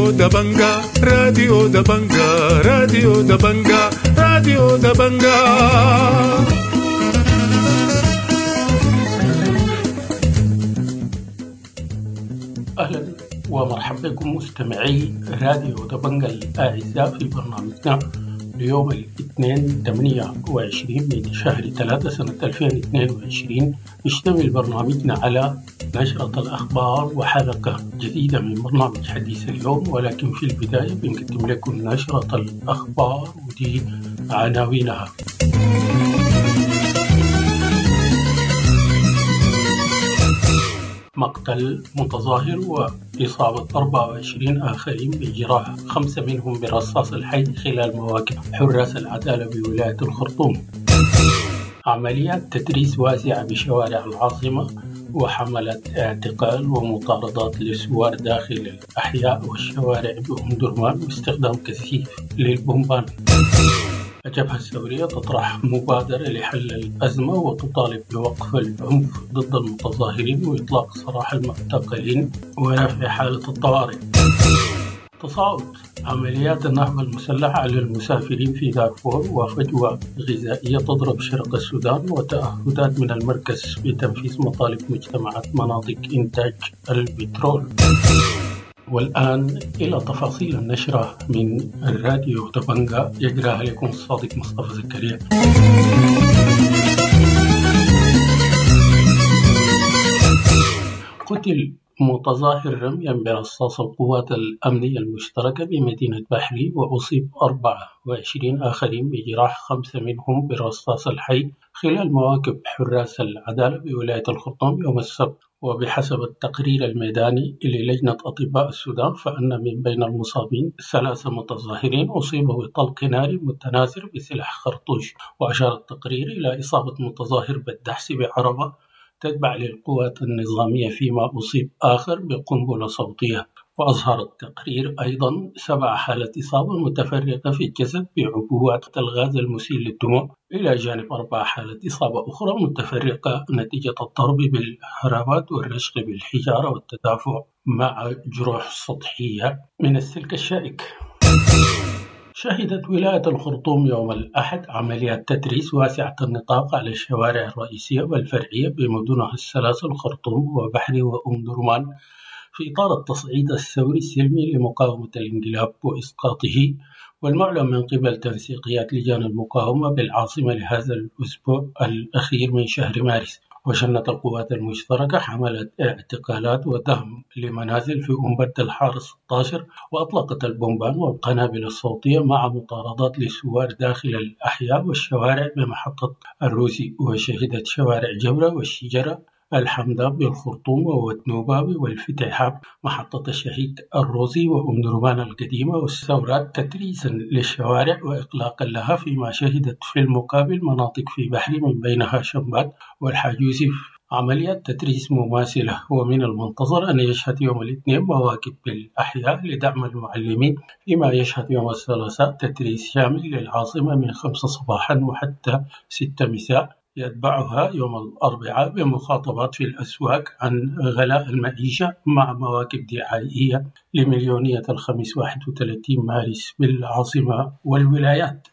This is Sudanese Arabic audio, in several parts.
راديو دبنجا، راديو دبنجا، راديو دبنجا، راديو دبنجا. أهلا ومرحبا بكم مستمعي راديو دبنجا الأعزاء في برنامجنا ليوم الاثنين 28 من شهر 3 سنة 2022. يشتمل برنامجنا على نشرة الأخبار وحلقة جديدة من برنامج حديث اليوم، ولكن في البداية بنقدم لكم نشرة الأخبار ودي عناوينها. مقتل متظاهر وإصابة 24 آخرين بجراح، 5 منهم برصاص الحي خلال مواكب حراس العدالة بولاية الخرطوم. عمليات تدريس واسعة بشوارع العاصمة وحملات اعتقال ومطاردات للثوار داخل الأحياء والشوارع بأم درمان واستخدام كثيف للبومبان. الجبهة الثورية تطرح مبادرة لحل الأزمة وتطالب بوقف العنف ضد المتظاهرين وإطلاق سراح المعتقلين ورفع حالة الطوارئ. تصاعد عمليات النهب المسلحة على المسافرين في دارفور وفجوة غذائية تضرب شرق السودان وتأهدات من المركز بتنفيذ مطالب مجتمعات مناطق إنتاج البترول. والآن إلى تفاصيل النشرة من الراديو دبنجا يجراها لكم الصادق مصطفى زكريا. قتل متظاهر رميا برصاص القوات الأمنية المشتركة بمدينة بحري وأصيب 24 آخرين بجراح، 5 منهم بالرصاص الحي خلال مواكب حراس العدالة بولاية الخرطوم يوم السبت. وبحسب التقرير الميداني للجنة أطباء السودان فأن من بين المصابين 3 متظاهرين أصيبوا بطلق ناري متناثر بسلاح خرطوش. وأشار التقرير إلى إصابة متظاهر بالدحس بعربة تتبع للقوات النظامية، فيما أصيب آخر بقنبلة صوتية. وأظهر التقرير أيضا 7 حالات إصابة متفرقة في الجسد بعبوات الغاز المسيل للدموع، إلى جانب 4 حالات إصابة أخرى متفرقة نتيجة الضرب بالهربات والرشق بالحجارة والتدافع مع جروح سطحية من السلك الشائك. شهدت ولاية الخرطوم يوم الأحد عمليات تدريس واسعة النطاق على الشوارع الرئيسية والفرعية بمدنها الثلاث الخرطوم وبحري وأم درمان في إطار التصعيد الثوري السلمي لمقاومة الانقلاب وإسقاطه، والمعلن من قبل تنسيقيات لجان المقاومة بالعاصمة لهذا الأسبوع الأخير من شهر مارس. وشنت القوات المشتركة حملة اعتقالات ودهم لمنازل في أم برد الحارة 16، وأطلقت البومبان والقنابل الصوتية مع مطاردات للثوار داخل الأحياء والشوارع بمحطة الروسي. وشهدت شوارع جبرة والشجرة الحمداب بالخرطوم ووتنوباوي والفتحاب محطة الشهيد الروزي وأم درمان القديمة والثورات تتريسا للشوارع وإغلاقا لها، فيما شهدت في المقابل مناطق في بحري من بينها شمبات والحاج يوسف عمليات تتريس مماثلة. ومن المنتظر أن يشهد يوم الاثنين مواكب بالأحياء لدعم المعلمين، فيما يشهد يوم الثلاثاء تتريس شامل للعاصمة من 5 صباحا وحتى 6 مساء، يتبعها يوم الأربعاء بمخاطبات في الأسواق عن غلاء المعيشة مع مواكب دعائية لمليونية الخميس 31 مارس بالعاصمة والولايات.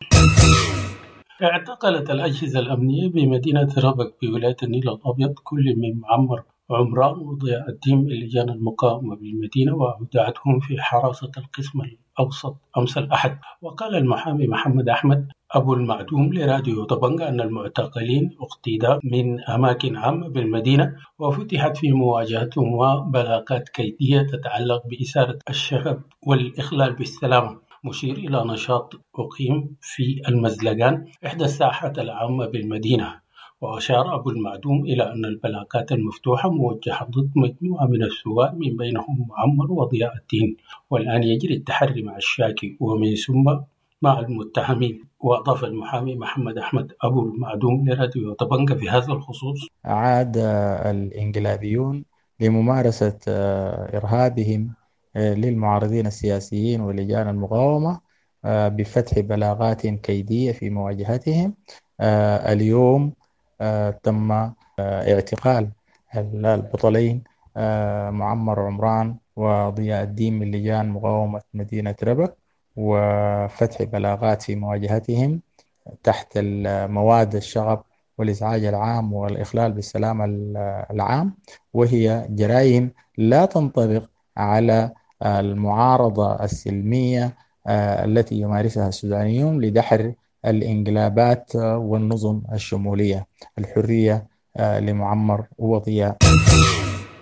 اعتقلت الأجهزة الأمنية بمدينة ربك بولاية النيل الأبيض كل من معمر عمران وضياء الدين من لجان المقاومة بالمدينة وأودعتهم في حراسة القسم الأوسط أمس الأحد. وقال المحامي محمد أحمد أبو المعدوم لراديو طبنجة أن المعتقلين اقتيدا من أماكن عامة بالمدينة وفتحت في مواجهتهم بلاغات كيدية تتعلق بإثارة الشغب والإخلال بالسلامة، مشير إلى نشاط أقيم في المزلقان إحدى الساحات العامة بالمدينة. وأشار أبو المعدوم إلى أن البلاغات المفتوحة موجهة ضد مجموعة من الثوار من بينهم معمر وضياء الدين، والآن يجري التحري مع الشاكي ومن ثم مع المتهمين. وأضاف المحامي محمد أحمد أبو المعدوم لراديو طبنجة في هذا الخصوص: عاد الإنقلابيون لممارسة إرهابهم للمعارضين السياسيين ولجان المقاومة بفتح بلاغات كيدية في مواجهتهم. اليوم تم اعتقال البطلين معمر عمران وضياء الدين من لجان مقاومة مدينة ربك، وفتح بلاغات في مواجهتهم تحت مواد الشغب والإزعاج العام والإخلال بالسلام العام، وهي جرائم لا تنطبق على المعارضة السلمية التي يمارسها السودانيون لدحر الانقلابات والنظم الشمولية. الحرية لمعمر وضياء.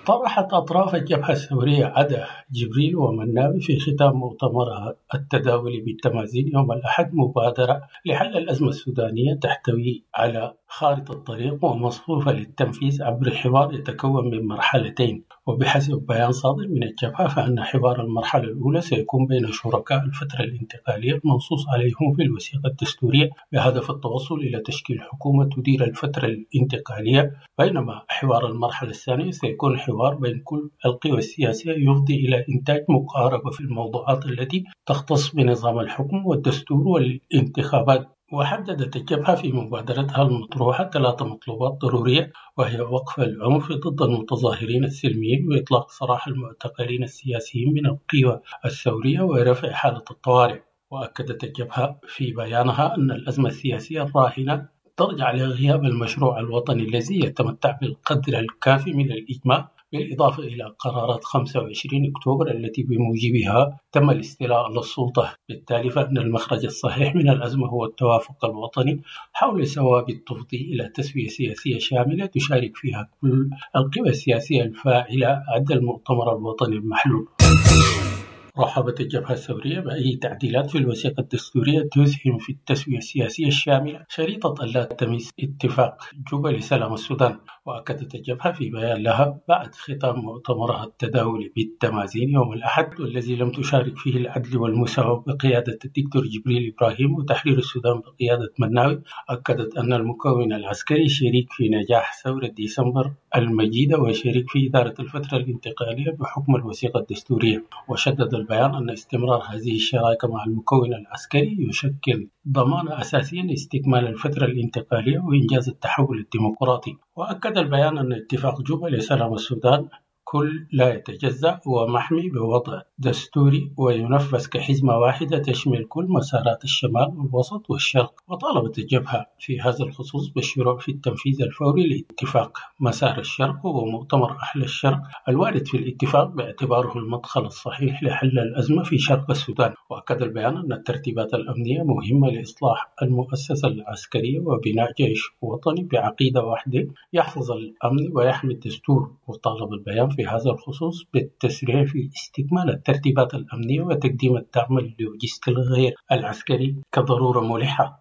طرحت أطراف الجبهة الثورية عدا جبريل ومناوي في ختام مؤتمرها التداولي بالتمازين يوم الأحد مبادرة لحل الأزمة السودانية تحتوي على خارطة طريق ومصفوفة للتنفيذ عبر حوار يتكون من مرحلتين. وبحسب بيان صادر من الجبهة فإن حوار المرحلة الأولى سيكون بين شركاء الفترة الانتقالية المنصوص عليهم في الوثيقة الدستورية بهدف التوصل إلى تشكيل حكومة تدير الفترة الانتقالية، بينما حوار المرحلة الثانية سيكون حوار بين كل القوى السياسية يفضي إلى إنتاج مقاربة في الموضوعات التي تختص بنظام الحكم والدستور والانتخابات. وحددت الجبهة في مبادرتها المطروحة 3 مطلوبات ضرورية، وهي وقف العنف ضد المتظاهرين السلميين وإطلاق سراح المعتقلين السياسيين من القوى الثورية ورفع حالة الطوارئ. وأكدت الجبهة في بيانها أن الأزمة السياسية الراهنة ترجع لغياب المشروع الوطني الذي يتمتع بالقدر الكافي من الإجماع، بالإضافة إلى قرارات 25 أكتوبر التي بموجبها تم الاستيلاء على السلطة. بالتالي فإن المخرج الصحيح من الأزمة هو التوافق الوطني حول ثوابت تفضي إلى تسوية سياسية شاملة تشارك فيها كل القوى السياسية الفاعلة عدا المؤتمر الوطني المحلول. رحبت الجبهة الثورية بأي تعديلات في الوثيقة الدستورية تسهم في التسوية السياسية الشاملة، شريطة ألا تمس اتفاق جوبا لسلام السودان. وأكدت الجبهة في بيان لها بعد ختام مؤتمرها التداولي بالتمازين يوم الأحد، والذي لم تشارك فيه العدل والمساواة بقيادة الدكتور جبريل إبراهيم وتحرير السودان بقيادة مناوي، أكدت أن المكون العسكري شريك في نجاح ثورة ديسمبر المجيدة وشريك في إدارة الفترة الانتقالية بحكم الوثيقة الدستورية. وشدد البيان أن استمرار هذه الشراكة مع المكون العسكري يشكل ضمانة أساسية لاستكمال الفترة الانتقالية وإنجاز التحول الديمقراطي. وأكد البيان أن اتفاق جوبا لسلام السودان كل لا يتجزأ ومحمي بوضع دستوري وينفذ كحزمة واحدة تشمل كل مسارات الشمال والوسط والشرق. وطالبت الجبهة في هذا الخصوص بالشروع في التنفيذ الفوري لاتفاق مسار الشرق ومؤتمر أهل الشرق الوارد في الاتفاق باعتباره المدخل الصحيح لحل الأزمة في شرق السودان. وأكد البيان أن الترتيبات الأمنية مهمة لإصلاح المؤسسة العسكرية وبناء جيش وطني بعقيدة واحدة يحفظ الأمن ويحمي الدستور. وطالب البيان في هذا الخصوص بالتسريع في استكمال الترتيبات الأمنية وتقديم الدعم اللوجستي الغير العسكري كضرورة ملحة.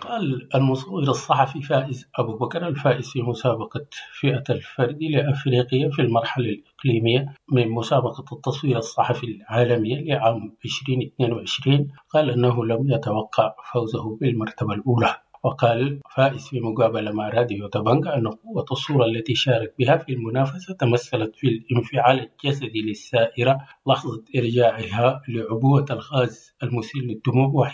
قال المصور الصحفي فائز أبو بكر الفائز في مسابقة فئة الفرد لأفريقيا في المرحلة الإقليمية من مسابقة التصوير الصحفي العالمية لعام 2022، قال أنه لم يتوقع فوزه بالمرتبة الأولى. وقال فائز في مقابلة مع راديو دبنجا أن قوة الصورة التي شارك بها في المنافسة تمثلت في الانفعال الجسدي للسائرة لحظة إرجاعها لعبوة الغاز المسيل للدموع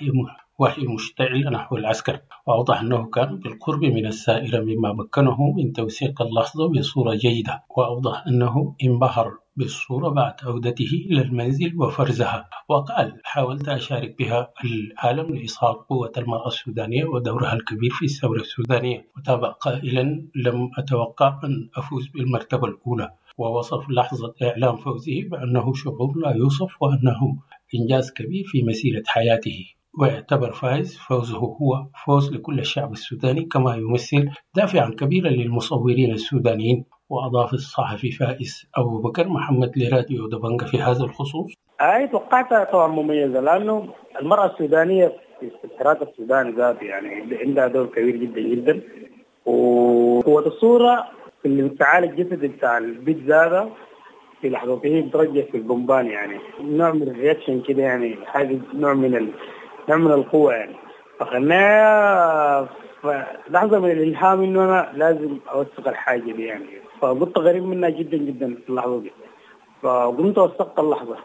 وهي مشتعلة نحو العسكر. وأوضح أنه كان بالقرب من السائرة مما مكنه من توثيق اللحظة بصورة جيدة. وأوضح أنه انبهر بالصورة بعد عودته إلى المنزل وفرزها. وقال حاولت أشارك بها العالم لإظهار قوة المرأة السودانية ودورها الكبير في الثورة السودانية. وتابع قائلا لم أتوقع أن أفوز بالمرتبة الأولى. ووصف لحظة إعلان فوزه بأنه شعور لا يوصف وأنه إنجاز كبير في مسيرة حياته. ويعتبر فايز فوزه هو فوز لكل الشعب السوداني كما يمثل دافعا كبيرا للمصورين السودانيين. وأضاف الصحفي فائز أبو بكر محمد لراديو دبنجا في هذا الخصوص: هاي توقعتها طبعا مميزة، لأنه المرأة السودانية في الحراك السوداني ذاته يعني عندها دور كبير جدا جدا، وقوة الصورة في الانفعال الجسدي بتاع البيت ذاته في لحظته بترجع في البومبان، يعني نوع من ال reaction كده، يعني حاجة نوع من القوة يعني. فخلناها لحظة من الإلهام إنه أنا لازم أوثق الحاجة دي يعني، فقلت غريب منها جدا جدا في اللحظة دي، فقمت وثقت اللحظة.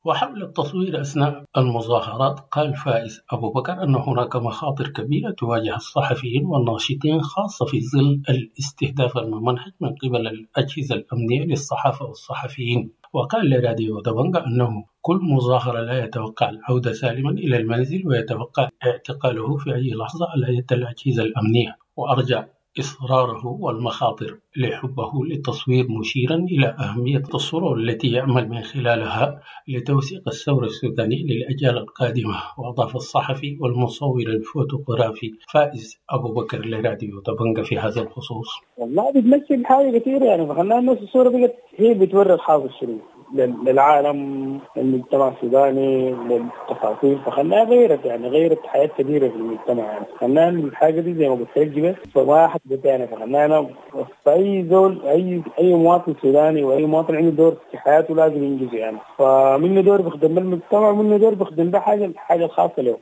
وحول التصوير أثناء المظاهرات قال فائز أبو بكر أن هناك مخاطر كبيرة تواجه الصحفيين والناشطين خاصة في ظل الاستهداف الممنهج من قبل الأجهزة الأمنية للصحافة والصحفيين. وقال لراديو دبنجا أنه كل مظاهرة لا يتوقع العودة سالما إلى المنزل، ويتوقع اعتقاله في أي لحظة على يد الأجهزة الأمنية. وأرجع إصراره والمخاطر لحبه للتصوير، مشيرا إلى أهمية الصورة التي يعمل من خلالها لتوثيق الثورة السودانية للأجيال القادمة. وأضاف الصحفي والمصور الفوتوغرافي فائز أبو بكر لراديو دبنجا في هذا الخصوص: والله بتمثل حاجة كثيرة يعني، فخلنا الناس الصورة بقت هي بتوري الحاصل شنو للعالم، للمجتمع السوداني، للتفاصيل، فخلاها غيرت يعني غيرت حياة كبيرة في المجتمع يعني. خلاها الحاجة دي زي ما قلت لك فما حدث يعني، فخلاها أنا فأي زول أي مواطن سوداني وأي مواطن عنده دور في حياته لازم ينجزه يعني، فمنه دور بيخدم المجتمع ومنه دور بيخدم ده حاجة الخاصة له.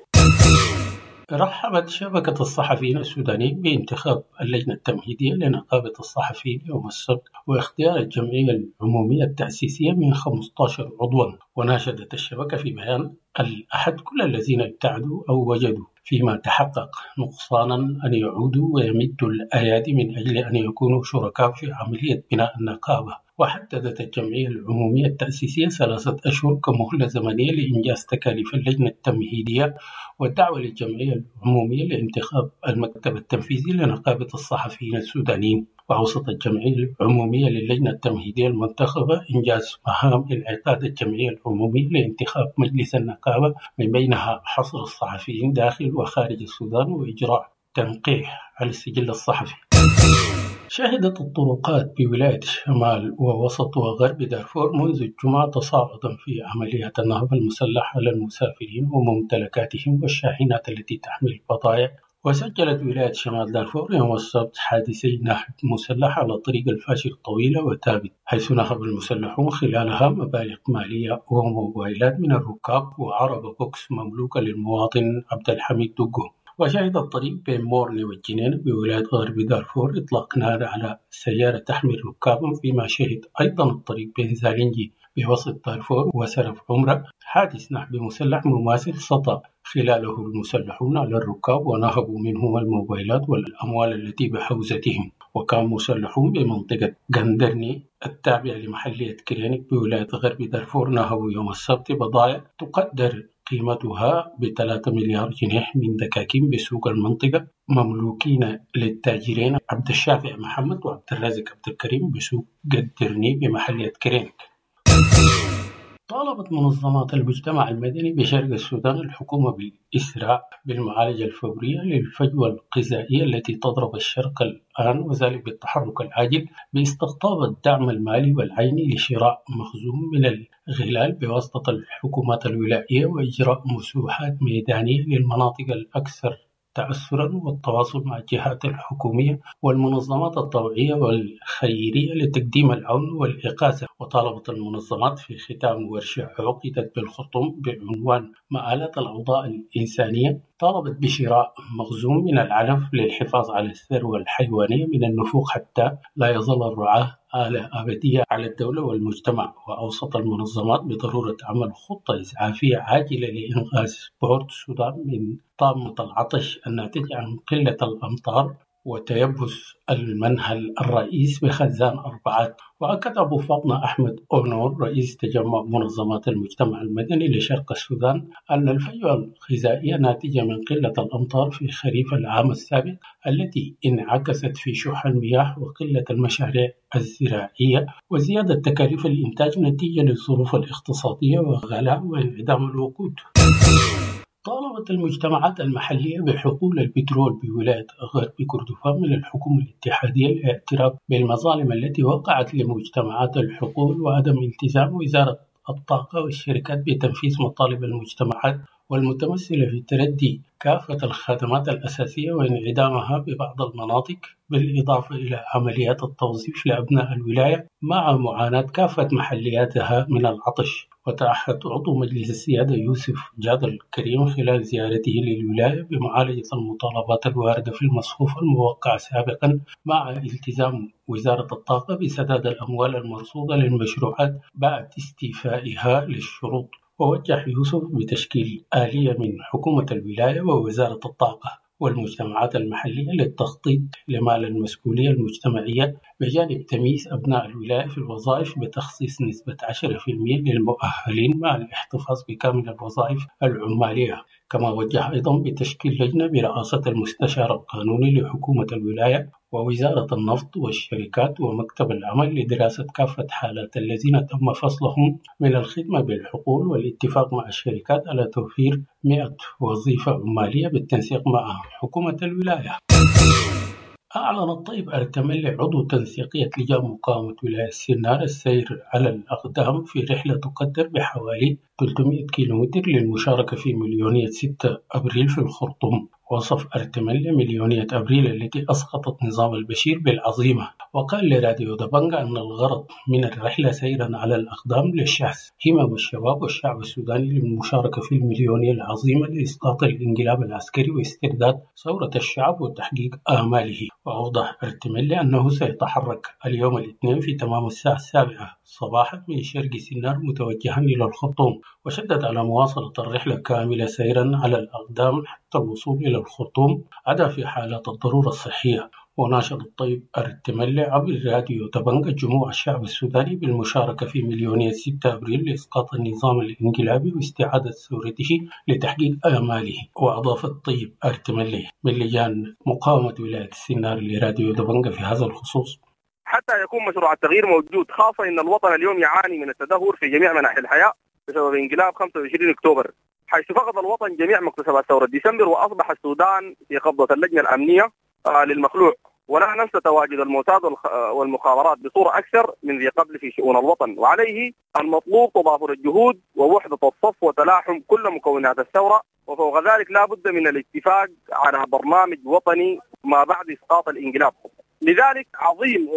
رحبت شبكة الصحفيين السودانيين بانتخاب اللجنة التمهيدية لنقابة الصحفيين يوم السبت واختيار الجمعية العمومية التأسيسية من 15 عضوا. وناشدت الشبكة في بيان الأحد كل الذين ابتعدوا أو وجدوا فيما تحقق نقصانا أن يعودوا ويمدوا الأيادي من أجل أن يكونوا شركاء في عملية بناء النقابة. وحددت الجمعية العمومية التأسيسية 3 أشهر كمهلة زمنية لإنجاز تكاليف اللجنة التمهيدية والدعوة للجمعية العمومية لانتخاب المكتب التنفيذي لنقابة الصحفيين السودانيين. وأوصت الجمعية العمومية للجنة التمهيدية المنتخبة إنجاز مهام انعقاد الجمعية العمومية لانتخاب مجلس النقابة، من بينها حصر الصحفيين داخل وخارج السودان وإجراء تنقيح على السجل الصحفي. شهدت الطرقات بولاية شمال ووسط وغرب دارفور منذ الجمعة تصاعدا في عمليات النهب المسلح على المسافرين وممتلكاتهم والشاحنات التي تحمل بضائع. وسجلت ولاية شمال دارفور يوم السبت حادثي نهب مسلح على طريق الفاشر الطويلة وتابت، حيث نهب المسلحون خلالها مبالغ مالية وموبايلات من الركاب وعربة بوكس مملوكة للمواطن عبد الحميد دقو. وشهد الطريق بين مورني والجنينة بولاية غرب دارفور إطلاق نار على سيارة تحمل ركابا، فيما شهد أيضا الطريق بين زالنجي بوسط دارفور وسرف عمرة حادث نهب مسلح مماثل سطى خلاله المسلحون على الركاب ونهبوا منهم الموبايلات والأموال التي بحوزتهم. وكان مسلحون بمنطقة غندرني التابعة لمحلية كرينك بولاية غرب دارفور نهبوا يوم السبت بضائع تقدر قيمتها ب3 مليار جنيه من دكاكين بسوق المنطقة مملوكين للتاجرين عبد الشافع محمد وعبد الرازق عبد الكريم بسوق قدرني بمحلية كرينك. طالبت منظمات المجتمع المدني بشرق السودان الحكومة بالإسراع بالمعالجة الفورية للفجوة الغذائية التي تضرب الشرق الآن، وذلك بالتحرك العاجل باستقطاب الدعم المالي والعيني لشراء مخزون من الغلال بواسطة الحكومات الولائية وإجراء مسوحات ميدانية للمناطق الأكثر تأثرا والتواصل مع الجهات الحكومية والمنظمات الطوعية والخيرية لتقديم العون والإغاثة. وطالبت المنظمات في ختام ورشة عقدت بالخرطوم بعنوان مآلات الأوضاع الإنسانية، طالبت بشراء مخزون من العلف للحفاظ على الثروة الحيوانية من النفوق حتى لا يظل الرعاة آلة أبدية على الدولة والمجتمع. وأوصت المنظمات بضرورة عمل خطة إسعافية عاجلة لإنقاذ بورت السودان من طامة العطش الناتج عن قلة الأمطار وتيبس المنهل الرئيس بخزان 4. وأكد أبو فاطمة أحمد أونور رئيس تجمع منظمات المجتمع المدني لشرق السودان أن الفجوة الغذائية ناتجة من قلة الأمطار في خريف العام السابق التي انعكست في شح المياه وقلة المشاريع الزراعية وزيادة تكاليف الإنتاج نتيجة للظروف الاقتصادية وغلاء وانعدام الوقود. طالبت المجتمعات المحلية بحقول البترول بولاية غرب كردفان من الحكومة الاتحادية الاعتراف بالمظالم التي وقعت لمجتمعات الحقول وعدم التزام وزارة الطاقة والشركات بتنفيذ مطالب المجتمعات والمتمثلة في تردي كافة الخدمات الأساسية وانعدامها ببعض المناطق، بالإضافة إلى عمليات التوظيف لأبناء الولاية مع معاناة كافة محلياتها من العطش. وتعهد عضو مجلس السيادة يوسف جاد الكريم خلال زيارته للولاية بمعالجة المطالبات الواردة في المصفوفة الموقعة سابقا مع التزام وزارة الطاقة بسداد الأموال المرصودة للمشروعات بعد استيفائها للشروط. ووجه يوسف بتشكيل آلية من حكومة الولاية ووزارة الطاقة والمجتمعات المحلية للتخطيط لمال المسؤولية المجتمعية، بجانب تمييز أبناء الولاية في الوظائف بتخصيص نسبة 10% للمؤهلين مع الاحتفاظ بكامل الوظائف العمالية. كما وجه أيضا بتشكيل لجنة برئاسة المستشار القانوني لحكومة الولاية ووزارة النفط والشركات ومكتب العمل لدراسة كافة حالات الذين تم فصلهم من الخدمة بالحقول والاتفاق مع الشركات على توفير 100 وظيفة عمالية بالتنسيق مع حكومة الولاية. أعلن الطيب أرتملي عضو تنسيقية لجان مقاومة ولاية سنار السير على الأقدام في رحلة تقدر بحوالي 300 كيلومتر للمشاركة في مليونية 6 أبريل في الخرطوم. وصف أرتملي مليونية أبريل التي أسقطت نظام البشير بالعظيمة، وقال لراديو دبنجا أن الغرض من الرحلة سيرا على الأقدام للشحذ همم الشباب والشعب السوداني للمشاركة في المليونية العظيمة لإسقاط الانقلاب العسكري واسترداد ثورة الشعب وتحقيق آماله. وأوضح أرتملي أنه سيتحرك اليوم الاثنين في تمام الساعة 7 صباحا من شرق سنار متوجها إلى الخرطوم، وشدد على مواصلة الرحلة كاملة سيرا على الأقدام حتى الوصول إلى الخرطوم عدا في حالات الضرورة الصحية. وناشد الطيب أرتملي عبر راديو دبنجا جموع الشعب السوداني بالمشاركة في مليونية 6 أبريل لإسقاط النظام الانقلابي واستعادة ثورته لتحقيق آماله. وأضاف الطيب أرتملي من لجان مقاومة ولاية السنار لراديو دبنجا في هذا الخصوص: حتى يكون مشروع التغيير موجود، خاصة إن الوطن اليوم يعاني من التدهور في جميع مناحي الحياة بسبب انقلاب 25 أكتوبر، حيث فقد الوطن جميع مكتسبات ثورة ديسمبر وأصبح السودان في قبضة اللجنة الأمنية للمخلوع. ولا ننسى تواجد الموساد والمخابرات بصورة أكثر من ذي قبل في شؤون الوطن، وعليه المطلوب تضافر الجهود ووحدة الصف وتلاحم كل مكونات الثورة، وفوق ذلك لا بد من الاتفاق على برنامج وطني ما بعد إسقاط الانقلاب. لذلك عظيم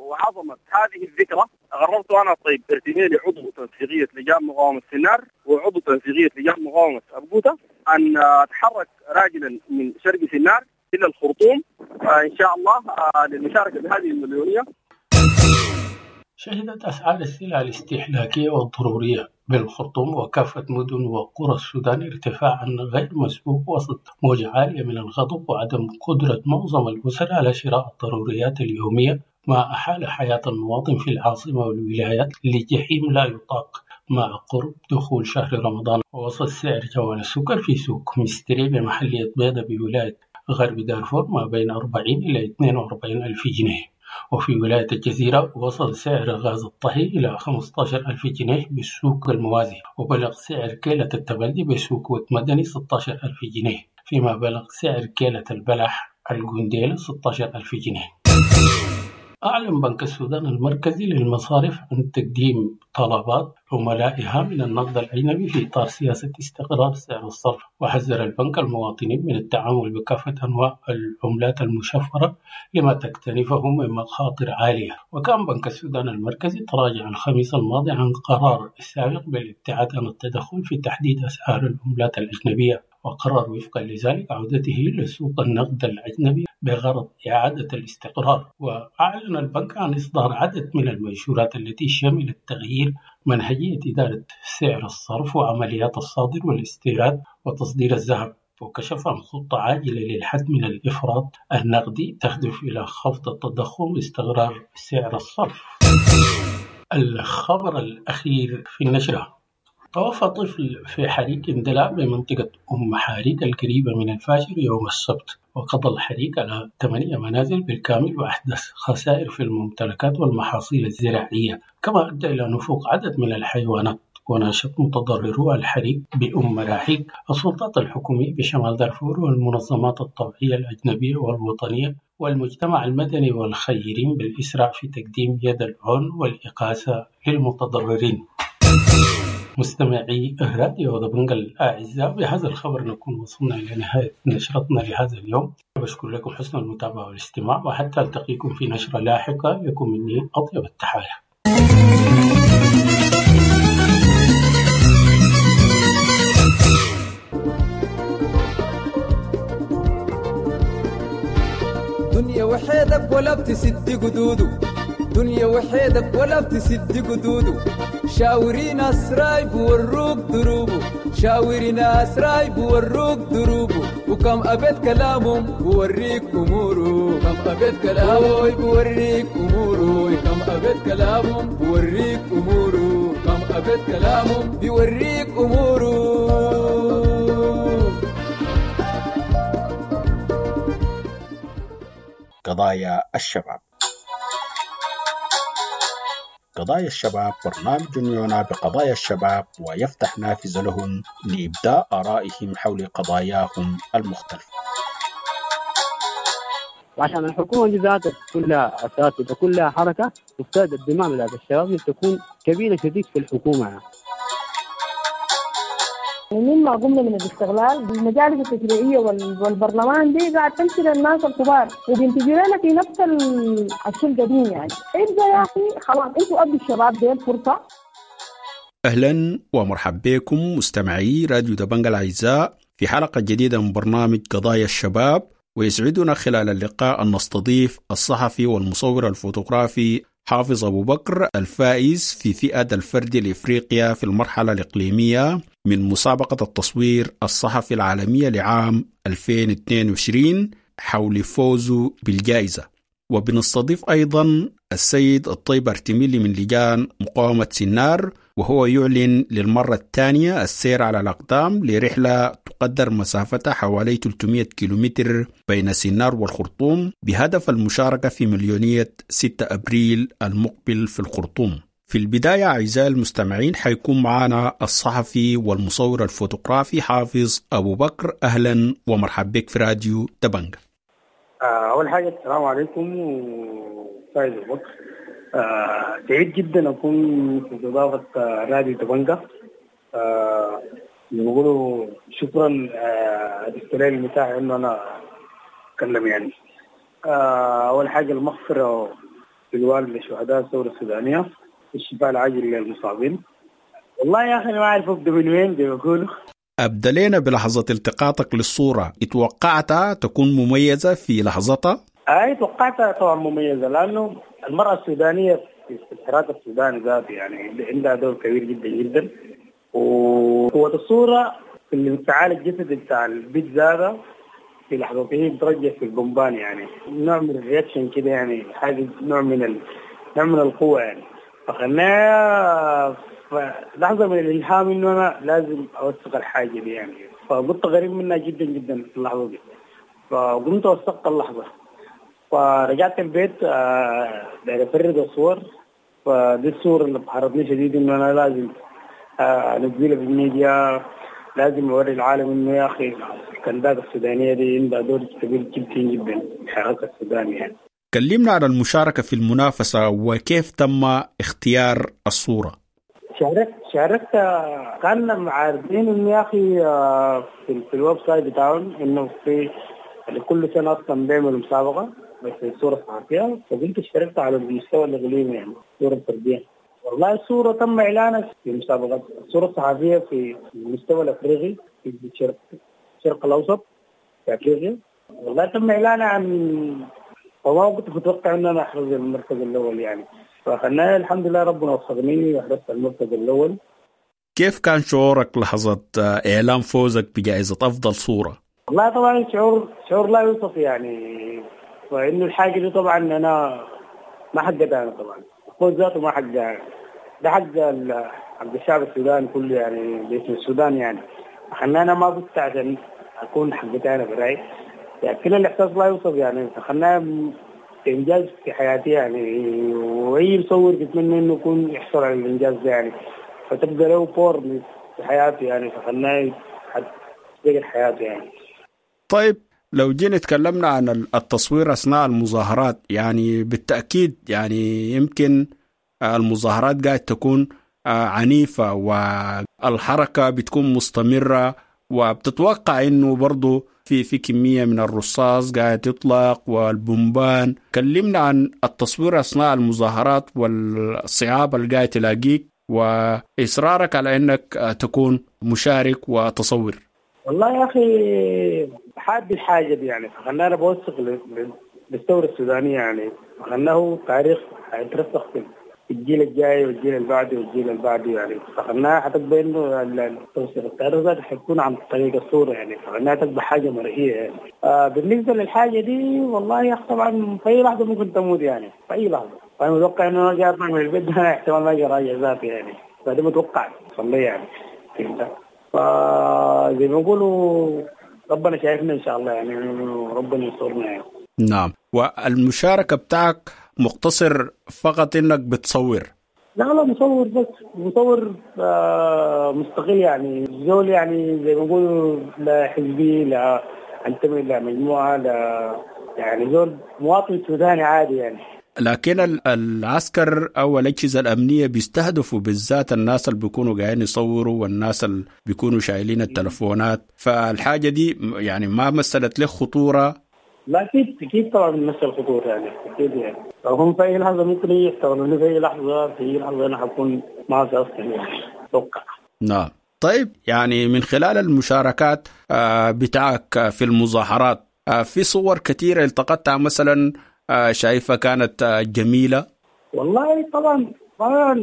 وعظمة هذه الذكرى قررت أنا الطيب ارتميلي عضو تنسيقية لجان مقاومة سنار وعضو تنسيقية لجان مقاومة أبقوتة أن أتحرك راجلا من شرق سنار إلى الخرطوم إن شاء الله للمشاركة بهذه المليونية. شهدت أسعار السلع الاستهلاكية والضرورية بالخرطوم وكافة مدن وقرى السودان ارتفاعا غير مسبوق وسط موجة عالية من الغضب وعدم قدرة معظم الأسر على شراء الضروريات اليومية، ما أحال حياة المواطن في العاصمة والولايات لجحيم لا يطاق مع قرب دخول شهر رمضان. ووصل سعر جوال السكر في سوق مستري بمحلية بيضة بولاية غرب دارفور ما بين 40 إلى 42 ألف جنيه، وفي ولاية الجزيرة وصل سعر غاز الطهي إلى 15 ألف جنيه بالسوق الموازي، وبلغ سعر كيلة التبلدي بسوق مدني 16 ألف جنيه، فيما بلغ سعر كيلة البلح الجنديل 16 ألف جنيه. أعلن بنك السودان المركزي للمصارف عن تقديم طلبات عملائها من النقد الأجنبي في إطار سياسة استقرار سعر الصرف، وحذر البنك المواطنين من التعامل بكافة أنواع العملات المشفرة لما تكتنفه من مخاطر عالية. وكان بنك السودان المركزي تراجع الخميس الماضي عن قرار السابق بالابتعاد عن التدخل في تحديد أسعار العملات الأجنبية، وقرر وفقا لذلك عودته لسوق النقد الأجنبي بغرض إعادة الاستقرار. وأعلن البنك عن إصدار عدد من المنشورات التي شملت تغيير منهجية إدارة سعر الصرف وعمليات الصادر والاستيراد وتصدير الذهب، وكشف عن خطة عاجلة للحد من الإفراط النقدي تهدف إلى خفض التضخم واستقرار سعر الصرف. الخبر الأخير في النشرة: توفى طفل في حريق اندلاع بمنطقة أم حريق القريبة من الفاشر يوم السبت، وقضى الحريق على 8 منازل بالكامل وأحدث خسائر في الممتلكات والمحاصيل الزراعية، كما أدى إلى نفوق عدد من الحيوانات. وناشط متضررو الحريق بأم مراحيق السلطات الحكومية بشمال دارفور والمنظمات الطوعية الأجنبية والوطنية والمجتمع المدني والخيرين بالإسراع في تقديم يد العون والإغاثة للمتضررين. مستمعي راديو دبنجا الأعزاء، بهذا الخبر نكون وصلنا إلى نهاية نشرتنا لهذا اليوم. بشكر لكم حسن المتابعة والاستماع، وحتى ألتقيكم في نشرة لاحقة لكم مني أطيب التحايا. دنيا وحيدك ولا بتسد قدوده، دنيا وحيدك ولا بتسد قدوده، شاوري ناس راي بوروك دروبه، شاوري ناس راي بوروك دروبه، وكم أبيت كلامهم بوريك أموره، كم أبيت كلامه بوريك أموره، كم أبيت كلامهم بوريك أموره، كم أبيت كلامهم بيوريك أموره. قضايا الشباب. قضايا الشباب برنامج يعنى بقضايا الشباب ويفتح نافذة لهم لإبداء آرائهم حول قضاياهم المختلفة. وعشان الحكومة دي ذاتها كلها أساتذة كلها حركة، مفترض الدماء بتاعت الشباب تكون كبيرة شديد في الحكومة يعني. مما قمنا من الاستغلال المجالس التشريعية والبرلمان دي قاعد تمشي للناس الكبار وبينتجوا لنا في نفس الشيء القديم يعني. ابدا يا اخي خلاص انتوا ادوا الشباب دي الفرصة. اهلا ومرحبا بكم مستمعي راديو دبنجا الاعزاء في حلقة جديدة من برنامج قضايا الشباب، ويسعدنا خلال اللقاء ان نستضيف الصحفي والمصور الفوتوغرافي حافظ أبو بكر الفائز في فئة الفردي لإفريقيا في المرحلة الإقليمية من مسابقة التصوير الصحفي العالمية لعام 2022 حول فوزه بالجائزة. وبنستضيف أيضا السيد الطيب ارتميلي من لجان مقاومة سنار، وهو يعلن للمرة الثانية السير على الأقدام لرحلة تقدر مسافتها حوالي 300 كيلومتر بين سنار والخرطوم بهدف المشاركة في مليونية 6 أبريل المقبل في الخرطوم. في البداية أعزائي المستمعين حيكون معنا الصحفي والمصور الفوتوغرافي حافظ أبو بكر. أهلا ومرحبا بك في راديو دبنجا. أول حاجة السلام عليكم وفايز أبو بكر. سعيد جدا أكون في استضافة راديو دبنجا. بيقولوا شكرا اديت المساحة إنه أنا أتكلم يعني. أول حاجة المغفرة للوالد لشهداء الثورة السودانية، الشفاء العاجل للمصابين. والله يا أخي أنا ما أعرف أبدأ من وين زي ما بيقولوا. أبدأ لنا بلحظة التقاطك للصورة، اتوقعتها تكون مميزة في لحظتها؟ أي توقعتها طبعا مميزة، لأنه المرأة السودانية في الحراك السوداني ذاته يعني عندها دور كبير جدا جدا، وقوة الصورة في الانفعال الجسدي بتاع البيت ذاته في لحظته بترجع في البومبان يعني، نوع من ال reaction كده يعني، حاجة نوع من القوة يعني. فخلناها لحظة من الإلهام إنه أنا لازم أوثق الحاجة دي يعني، فقلت غريب منها جدا جدا في اللحظة دي، فقمت وثقت اللحظة. فرجعت البيت داير أفرد الصور، فدي الصور اللي بحرتني شديد إنه أنا لازم أنزلها في الميديا، لازم أوري العالم إنه يا أخي الكنداك السودانية دي عندها دور كبير جدا جدا في الحراك السوداني يعني. كلمنا عن المشاركة في المنافسة وكيف تم اختيار الصورة. شاركت كان عارضين إنه يا أخي في ال website بتاعهم إنه في كل سنة أصلا بيعملوا مسابقة بس الصورة الصحفية، فقمت اشتركت على المستوى الإقليمي يعني الصورة الفردية. والله الصورة تم إعلانها في مسابقة الصورة الصحفية في المستوى الأفريقي في الشرق الأوسط في أفريقيا. والله تم إعلانها عن وما كنت متوقع إن أنا أحرز المركز الأول يعني، فخلنا الحمد لله ربنا وفقني وأحرزت المركز الأول. كيف كان شعورك لحظة إعلان فوزك بجائزة أفضل صورة؟ والله طبعا شعور لا يوصف يعني، فإنه الحاجة دي طبعا أنا ما حقتها أنا طبعا، الفوز ذاته ما حقها، ده حق الشعب السوداني كله يعني باسم السودان يعني. خلنا أنا ما فزت عشان أكون حقتها أنا برأيي يعني، كل الإحساس لا يوصف يعني. خلنا إنجاز في حياتي يعني، وأي مصور بيتمنى إنه يكون يحصل على الإنجاز ده يعني، فتبقى له بور في حياته يعني، فخلنا تغير حياته يعني. طيب لو جينا تكلمنا عن التصوير أثناء المظاهرات، يعني بالتأكيد يعني يمكن المظاهرات قاعد تكون عنيفة والحركة بتكون مستمرة، وبتتوقع إنه برضو في كمية من الرصاص قاعد يطلق والبومبان. كلمنا عن التصوير أثناء المظاهرات والصعاب اللي قاعد تلاقيك وإصرارك على إنك تكون مشارك وتصور. والله يا أخي حاب الحاجة دي يعني، فخلنا أنا بوثق للثورة السودانية يعني، فخلناه تاريخ حيترسخ الجيل الجاي والجيل اللي بعده والجيل اللي بعده يعني. فخلناها حتبقى انه التوصيل التاريخ ذاته حيكون عن طريق الصورة يعني، فخلناها تبقى حاجة مرئية يعني. بالنسبة للحاجة دي والله يا اخي طبعا في اي لحظة ممكن تموت يعني، في اي لحظة. فانا متوقع انه انا اطلع من البيت ده احتمال ما اجي راجع ذاتي يعني، فده متوقع صلي يعني، فهمت؟ فزي ما بيقولوا ربنا شايفنا ان شاء الله يعني، ربنا ينصرنا يعني. نعم. والمشاركة بتاعك مقتصر فقط انك بتصور؟ لا لا، مصور بس، مصور مستقل يعني، زول يعني زي ما بيقولوا لا حزبي لا انتمي لا مجموعة لا، يعني زول مواطن سوداني عادي يعني. لكن العسكر او الاجهزة الامنية بيستهدفوا بالذات الناس اللي بيكونوا قاعدين يصوروا والناس اللي بيكونوا شايلين التلفونات، فالحاجه دي يعني ما مثلت له خطورة؟ لا اكيد اكيد طبعا بتمثل خطورة يعني، اكيد يعني. هم في اي لحظة ممكن يشتغلوني، في اي لحظة في اي لحظة انا حكون ما في اصلا يعني، اتوقع. نعم. طيب يعني من خلال المشاركات بتاعك في المظاهرات، في صور كثيرة التقطتها مثلا شايفة كانت جميلة؟ والله طبعا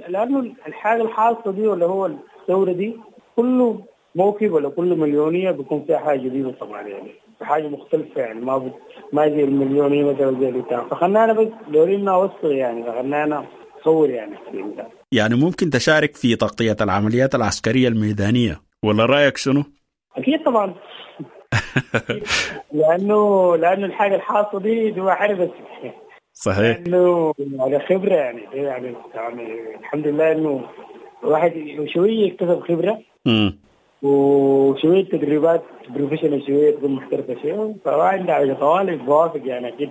لأنه الحاجة الحاصلة دي ولا هو الثورة دي كله موكب ولا كل مليونية بيكون فيها حاجة جديدة طبعا يعني، حاجة مختلفة يعني، ما زي المليونية مثلا زي بتاع. فخلنا أنا بس دورينا أوصل يعني، فخلنا أنا أصور يعني. يعني ممكن تشارك في تغطية العمليات العسكرية الميدانية ولا رأيك شنو؟ أكيد طبعا. لانه الحاجة الحاصلة دي ما حرب. صحيح. لانه على خبره يعني الحمد لله انه الواحد شوية اكتسب خبره وشوية تدريبات professional، شوية تكون محترفه شوية، فما عندي على طوالي بوافق يعني اكيد،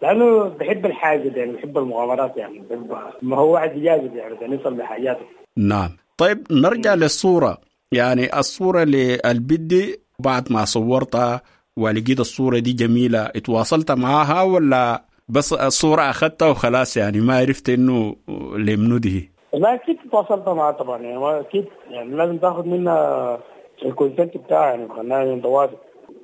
لانه بحب الحاجة دي يعني، بحب المغامرات يعني، بحب ما هو واحد يجازف يعني عشان يوصل لحاجاته. نعم. طيب نرجع للصورة، يعني الصورة للبدي بعد ما صورتها ولقيت الصورة دي جميلة، اتواصلت معاها ولا بس الصورة أخذتها وخلاص يعني ما عرفت إنه لمنو دي؟ لا أكيد تواصلت معاها طبعا يعني، أكيد يعني لازم تاخذ منها ال consent بتاعها يعني، خلناها نتواصل.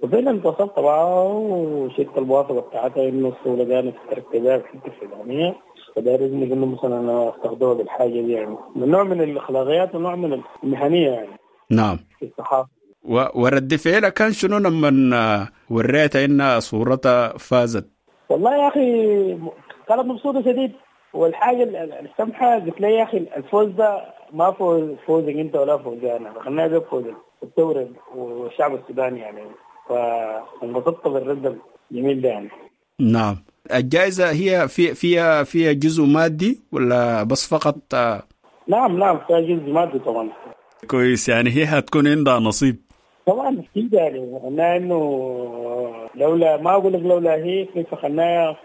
وفعلا تواصلت معاها وشلت الموافقة بتاعتها إنه الصورة دي أنا اشتركت بيها في الحتة الفلانية، فده لازم إنه مثلا أنا أستخدمها بالحاجة دي يعني، من نوع من الأخلاقيات ونوع من المهنية يعني. نعم. في الصحافة. ورد فعلها كان شنو لما وريتها إن صورتها فازت؟ والله يا أخي كانت مبسوطة شديد، والحاجة السمحة قلت لي يا أخي الفوز ده ما فوزك أنت ولا فوزي أنا، خلينا ده فوز الثورة والشعب السوداني يعني، فانبسطت بالرد الجميل ده يعني. نعم. الجائزة هي فيها جزء مادي ولا بس فقط؟ نعم نعم فيها جزء مادي طبعا. كويس، يعني هي هتكون عندها نصيب طبعا اكيد يعني، قلنا انه لولا ما اقول لك لولا هي فخلناها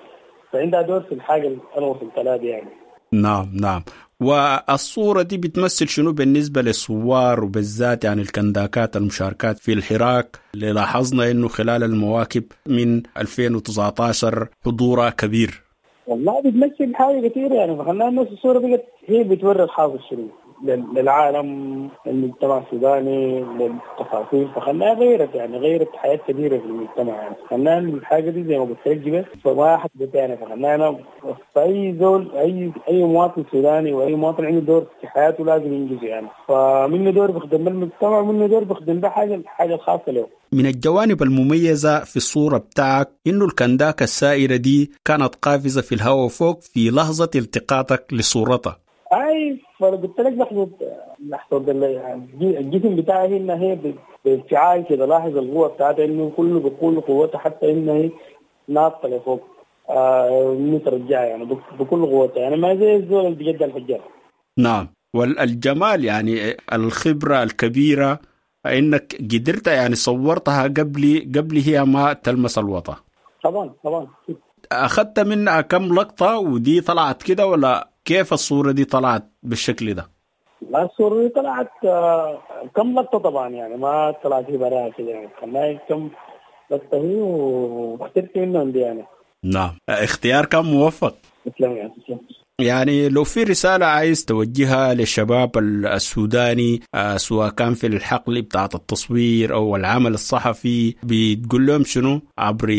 فعندها دور في الحاجة اللي انا وصلت لها دي يعني. نعم نعم. والصورة دي بتمثل شنو بالنسبة للثوار وبالذات يعني الكنداكات المشاركات في الحراك اللي لاحظنا انه خلال المواكب من 2019 حضورها كبير؟ والله بتمثل حاجة كثيرة يعني، فخلناها الناس الصورة بقت هي بتوري الحاصل شنو للعالم، للمجتمع السوداني، للتفاصيل، فخلاها غيرت يعني، غيرت حياة كبيرة في المجتمع يعني. خلاها الحاجة دي زي ما قلت لك بس فما حد يعني، فخلاها أنا فأي زول أي مواطن سوداني وأي مواطن عنده دور في حياته لازم ينجزه يعني، فمنه دور بيخدم المجتمع ومنه دور بيخدم ده حاجة الخاصة له. من الجوانب المميزة في الصورة بتاعك إنه الكنداكة السائرة دي كانت قافزة في الهواء فوق في لحظة التقاطك لصورتها. اي فقلت لك لحظة الجسم بتاعها هنا هي بانفعال كده، لاحظ القوة بتاعتها انه كله بكل قوتها، حتى انها هي ناطه لفوق مترجعه يعني بكل قوتها يعني، ما زي الزول اللي بيجد الحجار. نعم. والجمال يعني الخبرة الكبيرة انك قدرت يعني صورتها قبل هي ما تلمس الوطا. طبعا طبعا. اخذت منها كم لقطة ودي طلعت كده ولا كيف الصورة دي طلعت بالشكل ده؟ لا الصورة دي طلعت كم لقطة طبعا يعني، ما طلعت هي براها كده يعني، خلناها كم لقطة هي واخترت منهم دي يعني. نعم، اختيار كان موفق. تسلم يعني، تسلم. يعني لو في رسالة عايز توجهها للشباب السوداني سواء كان في الحقل بتاعت التصوير أو العمل الصحفي، بتقول لهم شنو عبر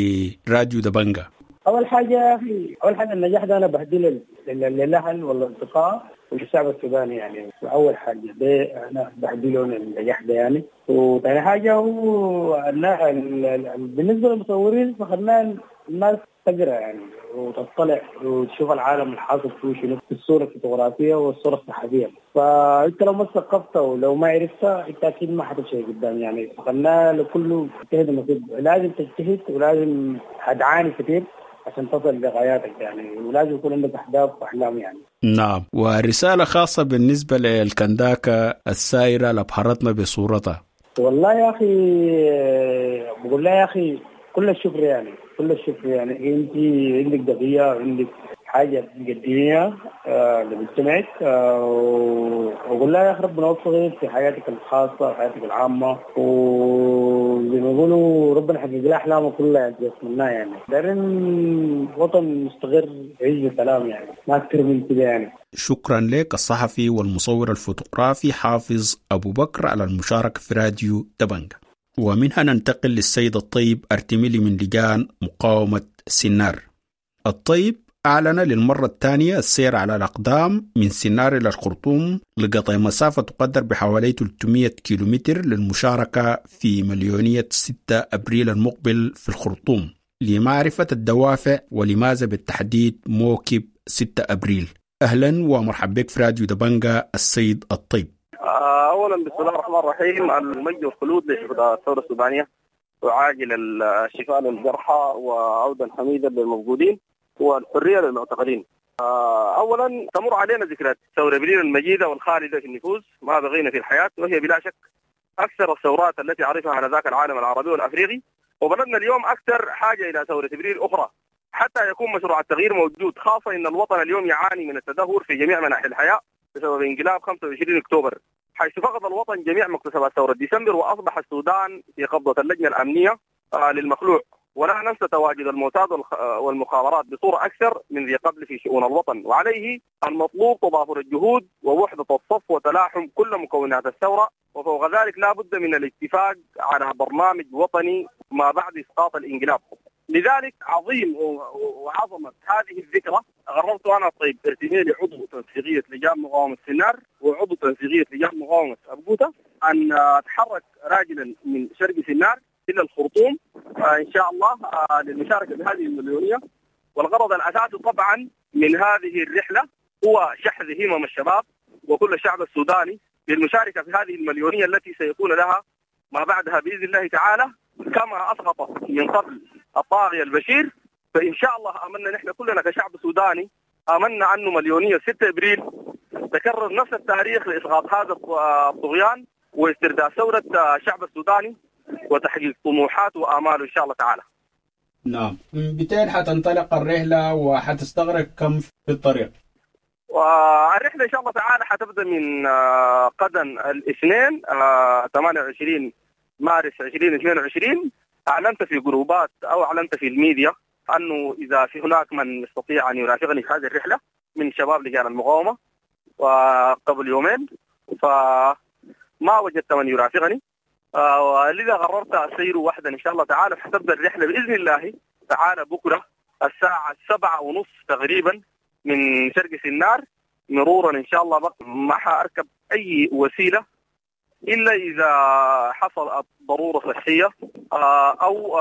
راديو دبنجة؟ اول حاجة يا اخي، اول حاجة النجاح ده انا بهديه للاهل والاصدقاء والشعب السوداني يعني. اول حاجة ده انا بهدي لهم النجاح ده يعني. وثاني حاجة هو بالنسبة للمصورين فخلنا الناس تقرا يعني وتطلع وتشوف العالم الحاصل فيه شنو في الصورة الفوتوغرافيه والصورة الصحفية. فانت لو ما ثقفت ولو ما عرفت انت اكيد ما حتمشي قدام يعني. فخلنا لكله اجتهد نصيب، لازم تجتهد ولازم حتعاني كثير عشان تصل لغاياتك يعني، ولازم يكون عندك اهداف واحلام يعني. نعم، ورسالة خاصة بالنسبة للكنداكه السائره اللي ابهرتنا بصورتها. والله يا اخي بقول لها يا اخي كل الشكر يعني، كل الشكر يعني. انت عندك قضية وعندك حاجة تقدميها لمجتمعك، واقول لها يا اخي ربنا يوفقك في حياتك الخاصة وحياتك العامة، وزي ما يقولوا ربنا يحقق لها احلامها كلها بتمناها يعني. دايرين وطن مستقر يعيش بسلام يعني، ما اكثر من كده يعني. شكرا لك الصحفي والمصور الفوتوغرافي حافظ ابو بكر على المشاركة في راديو دبنجة. ومنها ننتقل للسيد الطيب أرتميلي من لجان مقاومة سنار. الطيب أعلن للمرة الثانية السير على الأقدام من سنار إلى الخرطوم لقطع مسافة تقدر بحوالي 300 كيلومتر للمشاركة في مليونية 6 أبريل المقبل في الخرطوم، لمعرفة الدوافع ولماذا بالتحديد موكب 6 أبريل. أهلا ومرحبا بك في راديو دبنجة السيد الطيب. اولا بسم الله الرحمن الرحيم، المجد والخلود لشهداء الثورة السودانية، وعاجل الشفاء للجرحى وعودا حميدا للمفقودين والحرية للمعتقلين. اولا تمر علينا ذكريات ثورة ابريل المجيدة والخالده في النفوس ما بغينا في الحياة، وهي بلا شك اكثر الثورات التي عرفها على ذاك العالم العربي والافريقي، وبلدنا اليوم اكثر حاجة الى ثورة ابريل اخرى حتى يكون مشروع التغيير موجود، خاصة ان الوطن اليوم يعاني من التدهور في جميع مناحي الحياة بسبب انقلاب 25 اكتوبر، حيث فقد الوطن جميع مكتسبات ثورة ديسمبر وأصبح السودان في قبضة اللجنة الأمنية للمخلوع. ولا ننسى تواجد الموساد والمخابرات بصورة أكثر من ذي قبل في شؤون الوطن، وعليه المطلوب تضافر الجهود ووحدة الصف وتلاحم كل مكونات الثورة، وفوق ذلك لا بد من الاتفاق على برنامج وطني ما بعد إسقاط الانقلاب. لذلك عظيم وعظمة هذه الذكرى قررت أنا طيب ارتميلي عضو تنسيقية لجان مقاومة سنار وعضو تنسيقية لجان مقاومة أبقوتة أن أتحرك راجلا من شرق سنار إلى الخرطوم إن شاء الله للمشاركة بهذه المليونية. والغرض الأساسي طبعا من هذه الرحلة هو شحذ همم الشباب وكل الشعب السوداني للمشاركة في هذه المليونية التي سيكون لها ما بعدها بإذن الله تعالى، كما أسقط من قبل الطاغية البشير. فإن شاء الله آمنا نحن كلنا كشعب سوداني، آمنا أنه مليونية 6 أبريل تكرر نفس التاريخ لإسقاط هذا الطغيان واسترداد ثورة الشعب السوداني وتحقيق طموحاته وآماله إن شاء الله تعالى. نعم، من بتين حتنطلق الرحلة وحتستغرق كم في الطريق؟ والرحلة إن شاء الله تعالى حتبدأ من غدا الاثنين 28 مارس 2022. أعلنت في جروبات أو أعلنت في الميديا أنه إذا في هناك من يستطيع أن يرافقني في هذه الرحلة من شباب لجان المقاومة، وقبل يومين فما وجدت من يرافقني، ولذا قررت أسير وحدا إن شاء الله تعالى. حتبدأ الرحلة بإذن الله تعالى بكرة الساعة 7:30 تقريبا من شرق سنار مرورا إن شاء الله. ما حأركب أي وسيلة إلا إذا حصل ضرورة صحية أو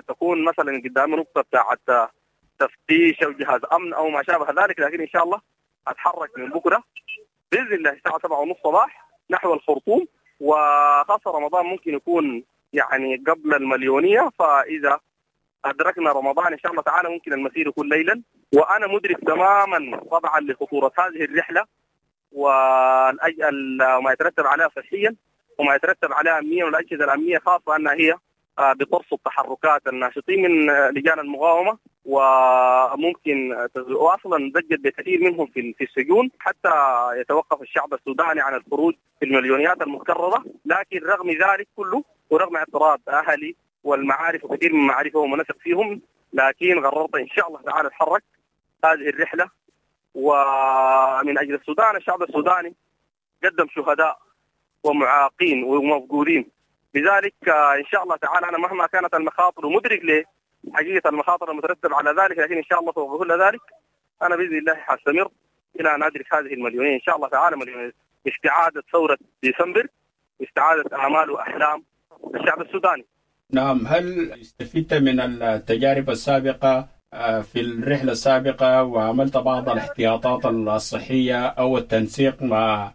تكون مثلا قدام نقطة بتاعت تفتيش أو جهاز أمن أو ما شابه ذلك. لكن إن شاء الله أتحرك من بكرة بإذن الله الساعة 7:30 صباح نحو الخرطوم. وخاصة رمضان ممكن يكون يعني قبل المليونية، فإذا أدركنا رمضان إن شاء الله تعالى ممكن المسير يكون ليلا. وأنا مدرك تماما طبعا لخطورة هذه الرحلة وما يترتب عليها صحيا وما يترتب عليها أمنيا والأجهزة الأمنية، خاصة أنها هي بترصد تحركات الناشطين من لجان المقاومة، وممكن وأصلا ضجت بكثير منهم في السجون حتى يتوقف الشعب السوداني عن الخروج في المليونيات المكررة. لكن رغم ذلك كله ورغم اعتراض أهلي والمعارف وكثير من معارفهم ونثق فيهم، لكن قررت إن شاء الله تعالى أتحرك هذه الرحلة. ومن أجل السودان، الشعب السوداني قدم شهداء ومعاقين ومفقودين، لذلك إن شاء الله تعالى أنا مهما كانت المخاطر ومدرك حقيقة المخاطر المترتبة على ذلك، لكن إن شاء الله فوق كل ذلك أنا بإذن الله حستمر إلى أن أدرك هذه المليونية إن شاء الله تعالى، مليونية استعادة ثورة ديسمبر، استعادة آمال وأحلام الشعب السوداني. نعم، هل استفدت من التجارب السابقة في الرحلة السابقة وعملت بعض الاحتياطات الصحية أو التنسيق مع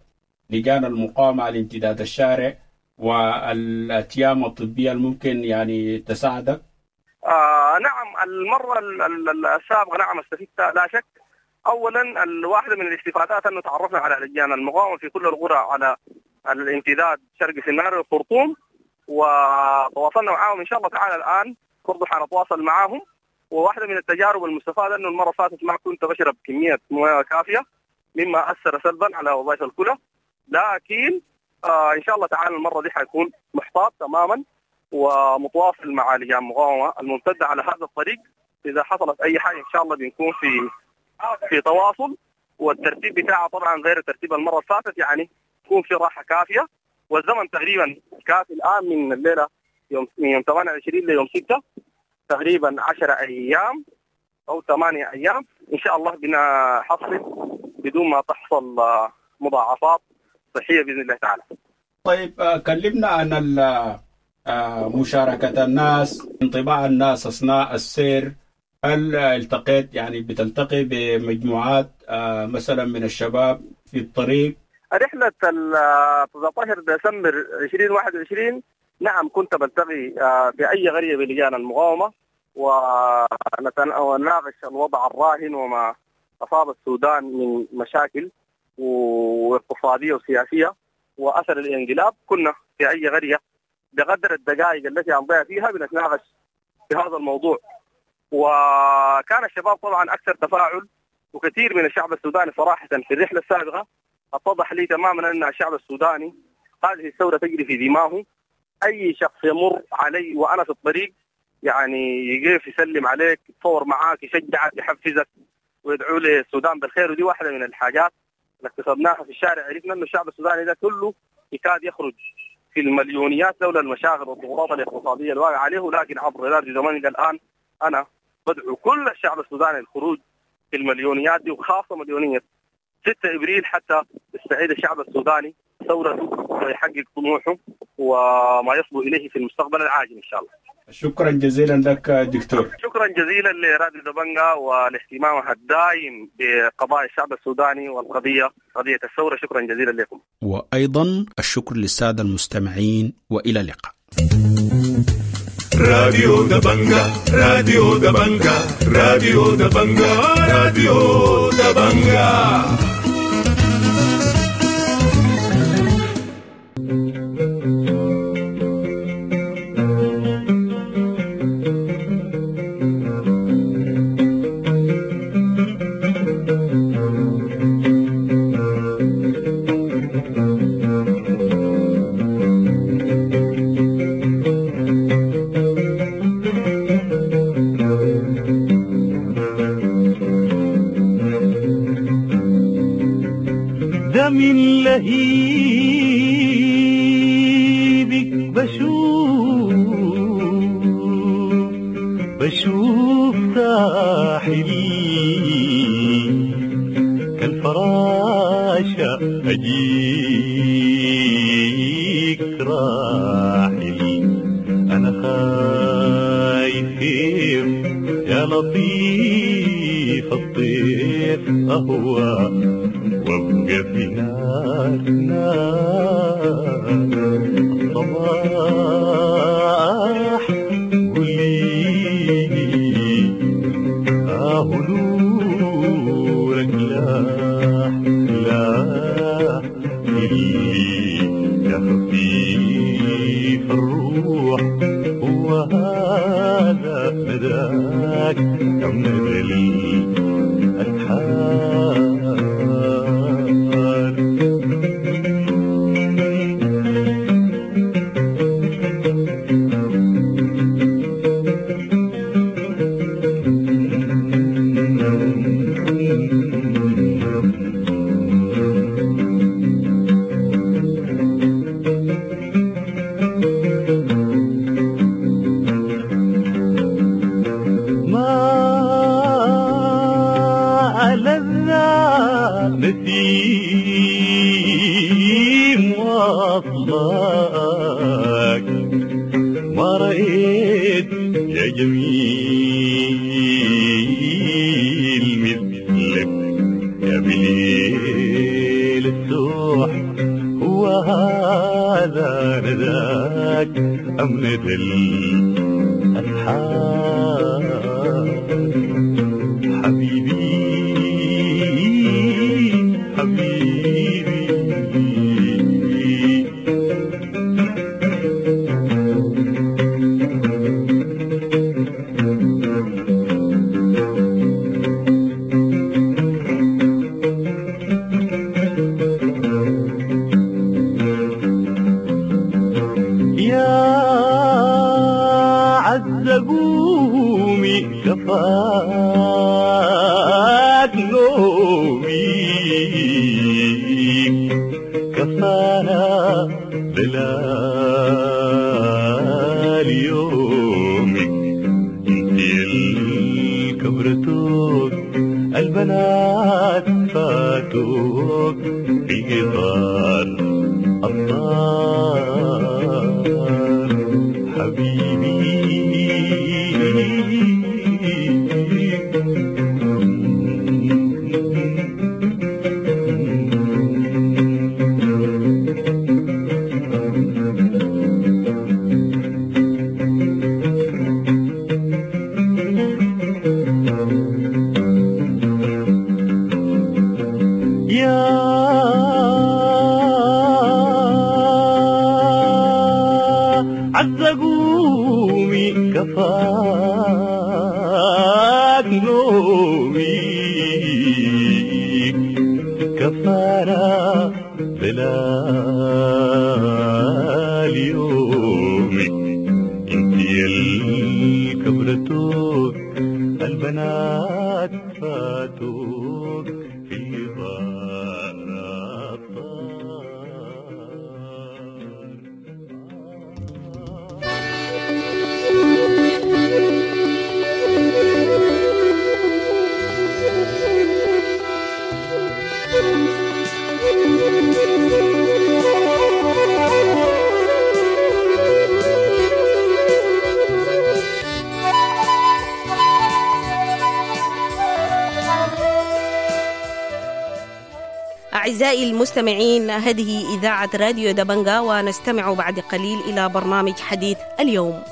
لجان المقاومة على امتداد الشارع والأتيام الطبية الممكن يعني تساعدك؟ نعم، المرة السابقة نعم استفدت لا شك. أولا الواحدة من الاستفادات أنه تعرفنا على لجان المقاومة في كل القرى على الامتداد شرق سنار والخرطوم، وتواصلنا معاهم إن شاء الله تعالى. الآن برضو حنتواصل معاهم. وواحدة من التجارب المستفادة أنه المرة فاتت ما كنت بشرب كمية موية كافية مما أثر سلبا على وظائف الكلى، لكن إن شاء الله تعالى المرة دي حيكون محتاط تماما ومتواصل مع لجان المقاومة الممتدة على هذا الطريق. إذا حصلت أي حاجة إن شاء الله بنكون في تواصل، والترتيب بتاعه طبعا غير ترتيب المرة اللي فاتت، يعني يكون في راحة كافية والزمن تقريبا كافي الآن من الليلة يوم 28 ليوم 6 تقريبا 10 أيام أو 8 أيام إن شاء الله بنحصل بدون ما تحصل مضاعفات صحية بإذن الله تعالى. طيب، كلمنا عن مشاركة الناس، انطباع الناس أثناء السير. هل التقيت يعني بتلتقي بمجموعات مثلا من الشباب في الطريق؟ رحلة 19 ديسمبر 2021 نعم كنت بلتقي في أي قرية بلجان المقاومة ونناقش الوضع الراهن وما أصاب السودان من مشاكل واقتصادية وسياسية وأثر الانقلاب. كنا في أي قرية بقدر الدقائق التي أمضيها فيها بنتناقش في هذا الموضوع، وكان الشباب طبعا أكثر تفاعل، وكثير من الشعب السوداني صراحة في الرحلة السابقة اتضح لي تماما أن الشعب السوداني هذه الثورة تجري في دماغه. أي شخص يمر علي وأنا في الطريق يعني يقف يسلم عليك، يتصور معاك، يشجعك، يحفزك، ويدعو للسودان بالخير. ودي واحدة من الحاجات اللي اكتسبناها في الشارع، عرفنا أن الشعب السوداني ده كله يكاد يخرج في المليونيات لولا المشاغل والضغوطات الاقتصادية الواقعة عليه، لكن عبر راديو دبنجا الآن أنا بدعو كل الشعب السوداني للخروج في المليونيات دي، وخاصة مليونية 6 إبريل، حتى يستعيد الشعب السوداني ثورته ويحقق طموحه وما يصبو إليه في المستقبل العاجل إن شاء الله. شكرا جزيلا لك دكتور. شكرا جزيلا لراديو دبنجا ولاهتمامها الدائم بقضايا الشعب السوداني والقضية قضية الثورة. شكرا جزيلا لكم. وأيضا الشكر للسادة المستمعين، وإلى اللقاء. راديو دبنجا، راديو دبنجا، راديو دبنجا، راديو دبنجا. من لهيبك بشوف بشوف ساحلي كالفراشة أجيك راحلي، أنا خايف يا لطيف الطيف أهوى وابقى في نار نار الصباح. قولي آه نورك لاح لاح اللي يا خفيف الروح، هو هذا مداك يا مدى الأسحار. نسيم واصلك ما رأيت يا جميل مثلك يا بليل السوح، هو هذا نداك أم ندى الأسحار؟ حبيبي حبيبي يا عز قومي كفاك نومي، كفانا دلال يومك، انت الكبرتوك البنات فاتوك في قطار الطار. حبيبي يا عز قومي كفاك نومي، كفانا دلال يومك، انت الكبرتوك البنات فاتوك في غار الطار. أعزائي المستمعين، هذه إذاعة راديو دبنجا، ونستمع بعد قليل إلى برنامج حديث اليوم.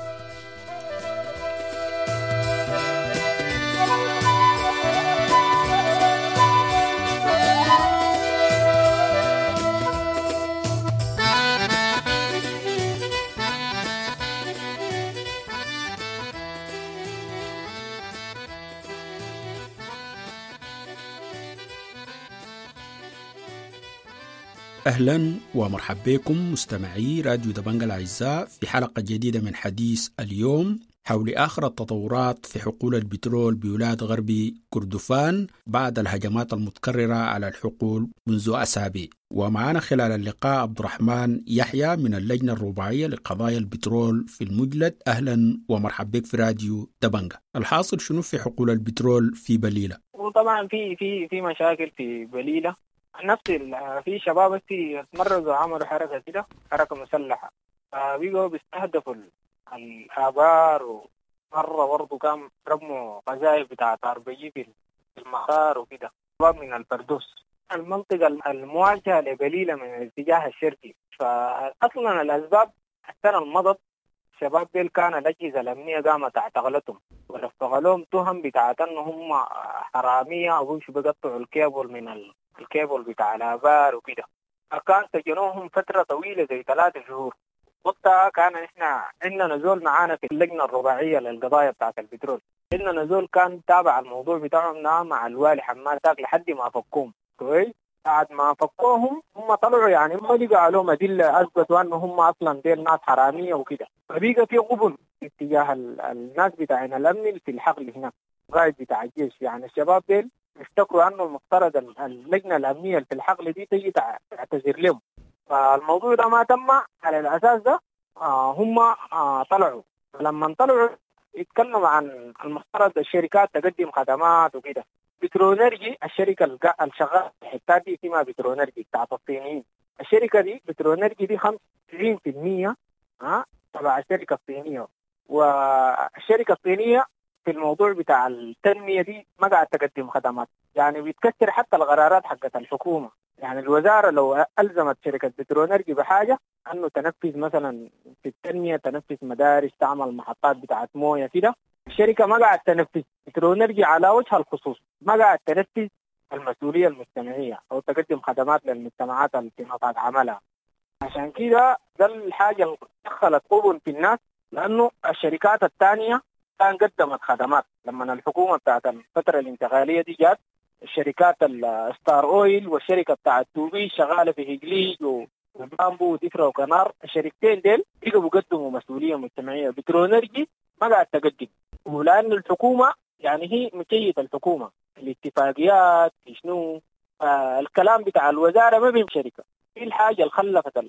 أهلا ومرحبا بكم مستمعي راديو دبنجا الأعزاء في حلقة جديدة من حديث اليوم حول آخر التطورات في حقول البترول بولاية غربي كردفان بعد الهجمات المتكررة على الحقول منذ أسابيع. ومعنا خلال اللقاء عبد الرحمن يحيى من اللجنة الرباعية لقضايا البترول في المجلد. أهلا ومرحبا بك في راديو دبنجا. الحاصل شنو في حقول البترول في بليلة؟ وطبعا في في في مشاكل في بليلة. نفس في شباب اتمرزوا عملوا حركة كده، حركة مسلحة، فبيقوا بيستهدفوا الآبار. ومرة برضه كان رموا قذائف بتاعة RPG في المطار وكده. شباب من الفردوس، المنطقة المواجهة لبليلة من الاتجاه الشرقي. فأصلا الأسباب السنة المضت الشباب ديل كان الأجهزة الأمنية قامت اعتقلتهم ولفق لهم تهم بتاعت أنهم حرامية أو بيمشوا بيقطعوا الكيبل من الكيبل بتاع الآبار وكده. فكان سجنوهم فترة طويلة زي 3 شهور. وقتها كان إحنا عندنا نزول معانا في اللجنة الرباعية للقضايا بتاعت البترول، عندنا نزول كان تابع الموضوع بتاعهم مع الوالي حماد تاك لحد ما فكوهم. كويس، بعد ما فكوهم هم طلعوا يعني ما لقوا عليهم أدلة أثبتوا أنه هم أصلا ديل ناس حرامية وكده. فبيقى في قبل اتجاه الناس بتاعين الأمن في الحقل هناك، قائد بتاع الجيش. يعني الشباب ديل افتكروا أنه المفترض اللجنة الأمنية في الحقل دي تيجي تعتذر لهم. فالموضوع ده ما تم على الأساس ده. هم طلعوا. لما طلعوا يتكلموا عن المفترض الشركات تقدم خدمات وكده. بترونرجي الشركة الشغاله الحتات دي اسمها بترونرجي بتاعت الصينيين. الشركة دي بترونرجي دي 95% تبع الشركة الصينية، والشركة الصينية في الموضوع بتاع التنمية دي ما قاعد تقدم خدمات، يعني بيتكسر حتى القرارات حقت الحكومة. يعني الوزارة لو الزمت شركة بترونرجي بحاجة انه تنفذ مثلا في التنمية، تنفذ مدارس، تعمل محطات بتاعت مويه كده، الشركة ما قاعد تنفذ. بترونرجي على وجه الخصوص ما قاعد تنفذ المسؤولية المجتمعية او تقدم خدمات للمجتمعات اللي في نطاق عملها. عشان كده ده الحاجة اللي دخلت قبل في الناس، لانه الشركات الثانية كان قدمت خدمات لما الحكومة بتاعت الفترة الانتقالية دي جات، الشركات الستار اويل والشركة بتاعت توبي شغالة في هجليج وبامبو ودفرة وكنار، الشركتين ديل بقوا بيقدموا مسؤولية مجتمعية. بترونرجي ما قاعد تقدم، ولان الحكومة يعني هي مكيفه الحكومة الاتفاقيات شنو الكلام بتاع الوزارة ما بين شركة. في الحاجة اللي خلفت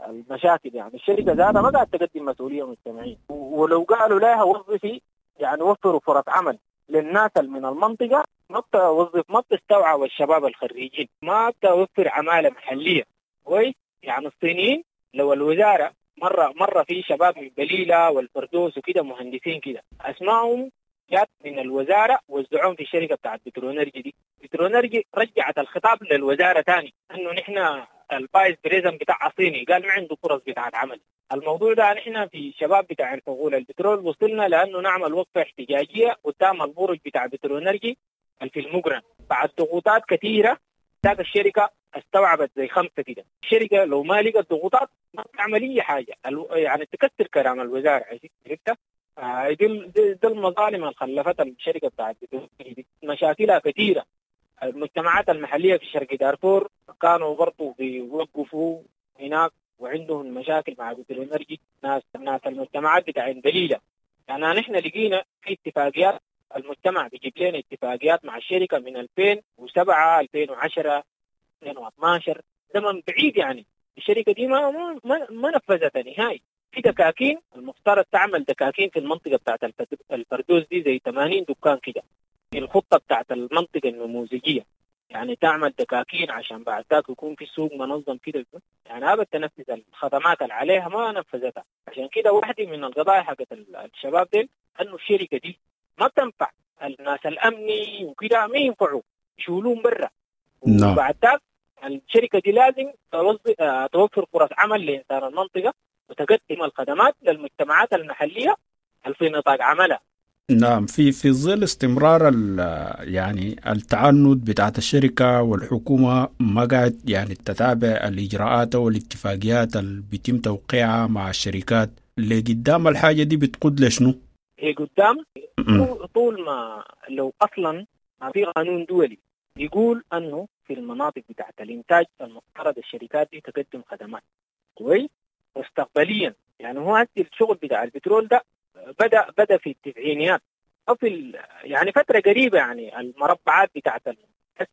المشاكل، يعني الشركة ذاتها ما قاعد تقدم مسؤولية مجتمعية، ولو قالوا لها وظفي يعني وفروا فرص عمل للناس من المنطقة ما بتوظف، ما بتستوعب الشباب الخريجين، ما بتوفر عماله محليه. كويس؟ يعني الصينيين لو الوزارة مرة في شباب من بليلة والفردوس وكده مهندسين كده اسمائهم جات من الوزارة وزعوهم في الشركة بتاعت بترونرجي دي. بترونرجي رجعت الخطاب للوزارة ثاني انه نحن ال vice president بتاع صيني قال ما عنده فرص بتاعت عمل. الموضوع ده نحن في شباب بتاع الحقول البترول وصلنا لانه نعمل وقفه احتجاجية قدام البرج بتاع بترونرجي في المقرن. بعد ضغوطات كثيرة ذاك الشركة استوعبت زي 5 كده. الشركة لو ما لقت ضغوطات ما بتعمل اي حاجة، يعني تكسر كلام الوزارة. عرفت؟ دي المظالم اللي خلفتها الشركة بتاعت دي، مشاكلها كثيرة. المجتمعات المحلية في شرق دارفور كانوا برضو بيوقفوا هناك وعندهم مشاكل مع بترونرجي، ناس المجتمعات بتاع بليلة. يعني نحن لقينا في اتفاقيات، المجتمع بيجيب لنا اتفاقيات مع الشركة من 2007 2010 2012، زمن بعيد. يعني الشركة دي ما ما ما نفذتها نهائي. في دكاكين المفترض تعمل دكاكين في المنطقة بتاعت الفردوس دي زي 80 دكان كده في الخطة بتاعت المنطقة النموذجيه، يعني تعمل دكاكين عشان بعد ذاك يكون في سوق منظم كده. يعني هذا تنفذ الخدمات اللي عليها ما نفذتها. عشان كده واحدة من القضايا حقت الشباب دي انه الشركة دي ما بتنفع الناس الامني وكده، ما ينفعوا يشيلوهم برا. وبعد ذاك الشركة دي لازم توفر فرص عمل لانسان المنطقة وتقدم الخدمات للمجتمعات المحلية في نطاق عملها. نعم، في ظل استمرار يعني التعنت بتاعت الشركة والحكومة ما قاعد يعني تتابع الإجراءات والاتفاقيات اللي بيتم توقيعها مع الشركات، اللي قدام الحاجة دي بتقود لشنو؟ هي قدام طول ما لو أصلا ما في قانون دولي يقول أنه في المناطق بتاعت الإنتاج المفترض الشركات دي تقدم خدمات. كويس؟ مستقبليا يعني هو هسه الشغل بتاع البترول ده بدأ في التسعينيات أو في يعني فترة قريبة. يعني المربعات بتاعت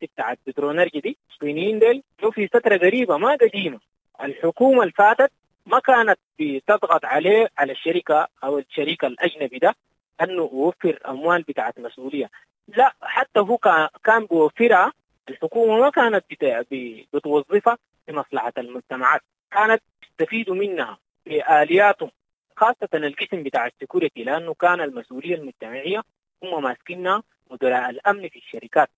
بتاعت بترونرجي دي الصينيين ديل في فترة قريبة ما قديمة. الحكومة اللي فاتت ما كانت بتضغط عليه على الشركة أو الشريك الأجنبي ده أنه يوفر أموال بتاعت مسؤولية، لا حتى هو كان بيوفرها. الحكومة ما كانت بتوظفها لمصلحة المجتمعات، كانت تستفيد منها بآلياتهم، خاصة القسم بتاع السكيورتي، لأنه كان المسؤولية المجتمعية هم ماسكينها مدراء الأمن في الشركات،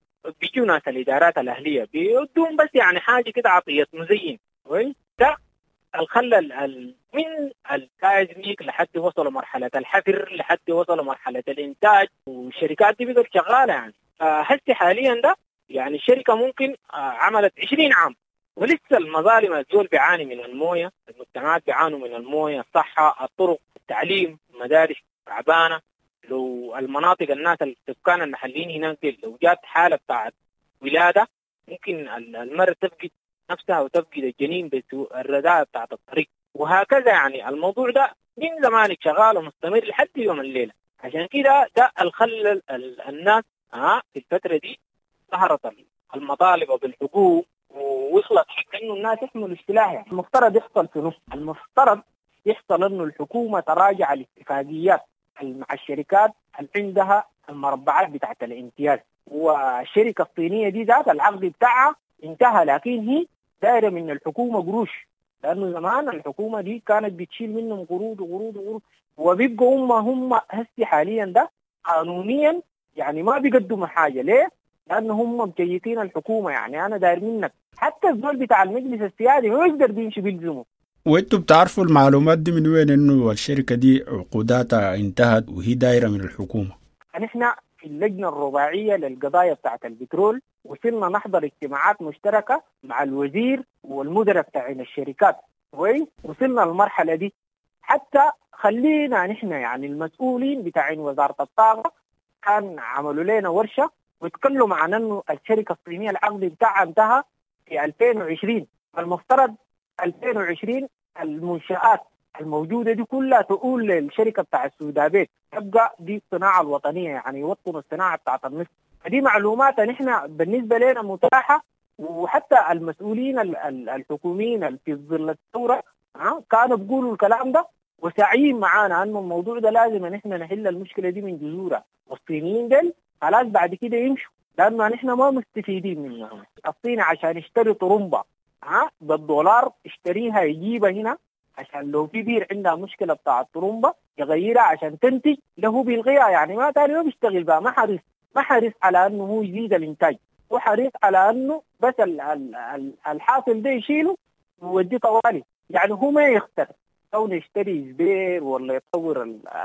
بيجوا ناس الإدارات الأهلية بيدون بس يعني حاجة كده عطية مزين. كويس؟ ده الخلى من التايزميك لحد وصلوا مرحلة الحفر، لحد وصلوا مرحلة الإنتاج، والشركات دي بقت شغالة. يعني هسه حاليا ده يعني الشركة ممكن عملت 20 عام ولسه المظالم، الزول بيعاني من المويه، المجتمعات بيعانوا من المويه، الصحة، الطرق، التعليم، المدارس تعبانة. لو المناطق الناس السكان المحليين هناك دي لو جات حاله بتاعت ولاده ممكن المرأة تفقد نفسها وتفقد الجنين بالرداء بتاعت الطريق وهكذا. يعني الموضوع ده من زمان شغال ومستمر لحد يوم الليلة. عشان كده ده الخلل الناس في الفترة دي ظهرت المطالب بالحقوق ووصلت حتى انه الناس يحملوا السلاح. يعني المفترض يحصل في نص، المفترض يحصل انه الحكومة تراجع الاتفاقيات مع الشركات اللي عندها المربعات بتاعت الامتياز. والشركة الصينية دي ذات العقد بتاعها انتهى، لكن هي دايرة من الحكومة قروش، لأنه زمان الحكومة دي كانت بتشيل منهم قروض وقروض وقروض، وبيبقوا هم هسي حاليا ده قانونيا يعني ما بيقدموا حاجة. ليه؟ لأنه هم مجيتين الحكومة. يعني أنا داير منك حتى الزول بتاع المجلس السيادي ما يقدر بيمشي بيلزمه. وانتم بتعرفوا المعلومات دي من وين انه الشركة دي عقوداتها انتهت وهي دايرة من الحكومة؟ نحن في اللجنة الرباعية للقضايا بتاعت البترول وصلنا نحضر اجتماعات مشتركة مع الوزير والمدراء بتاعين الشركات، كويس؟ وصلنا للمرحلة دي. حتى خلينا نحن يعني المسؤولين بتاعين وزارة الطاقة كان عملوا لنا ورشة وتكلموا عن انه الشركة الصينية العقد بتاعها انتهى في 2020، المفترض 2020 المنشآت الموجودة دي كلها تقول للشركة بتاع السودابيت تبقى دي الصناعة الوطنية، يعني يوطنوا الصناعة بتاعت النفط. فدي معلومات نحن بالنسبة لنا متاحة، وحتى المسؤولين الحكوميين في ظل الثورة كانوا بيقولوا الكلام ده وساعين معانا انه الموضوع ده لازم نحن نحل المشكلة دي من جذورها، والصينيين دول خلاص بعد كده يمشوا لأنه نحن ما مستفيدين منهم. الصين عشان يشتري طرمبة بالدولار اشتريها يجيبها هنا، عشان لو في بير عندها مشكلة بتاع الطرمبة يغيرها عشان تنتج له بيلغيها، يعني ما تاني ما بيشتغل بقى. ما حريص على انه هو يزيد الانتاج، هو حريص على انه بس الحاصل ده يشيله ويوديه طوالي، يعني هو ما يخسر كونه يشتري زبير ولا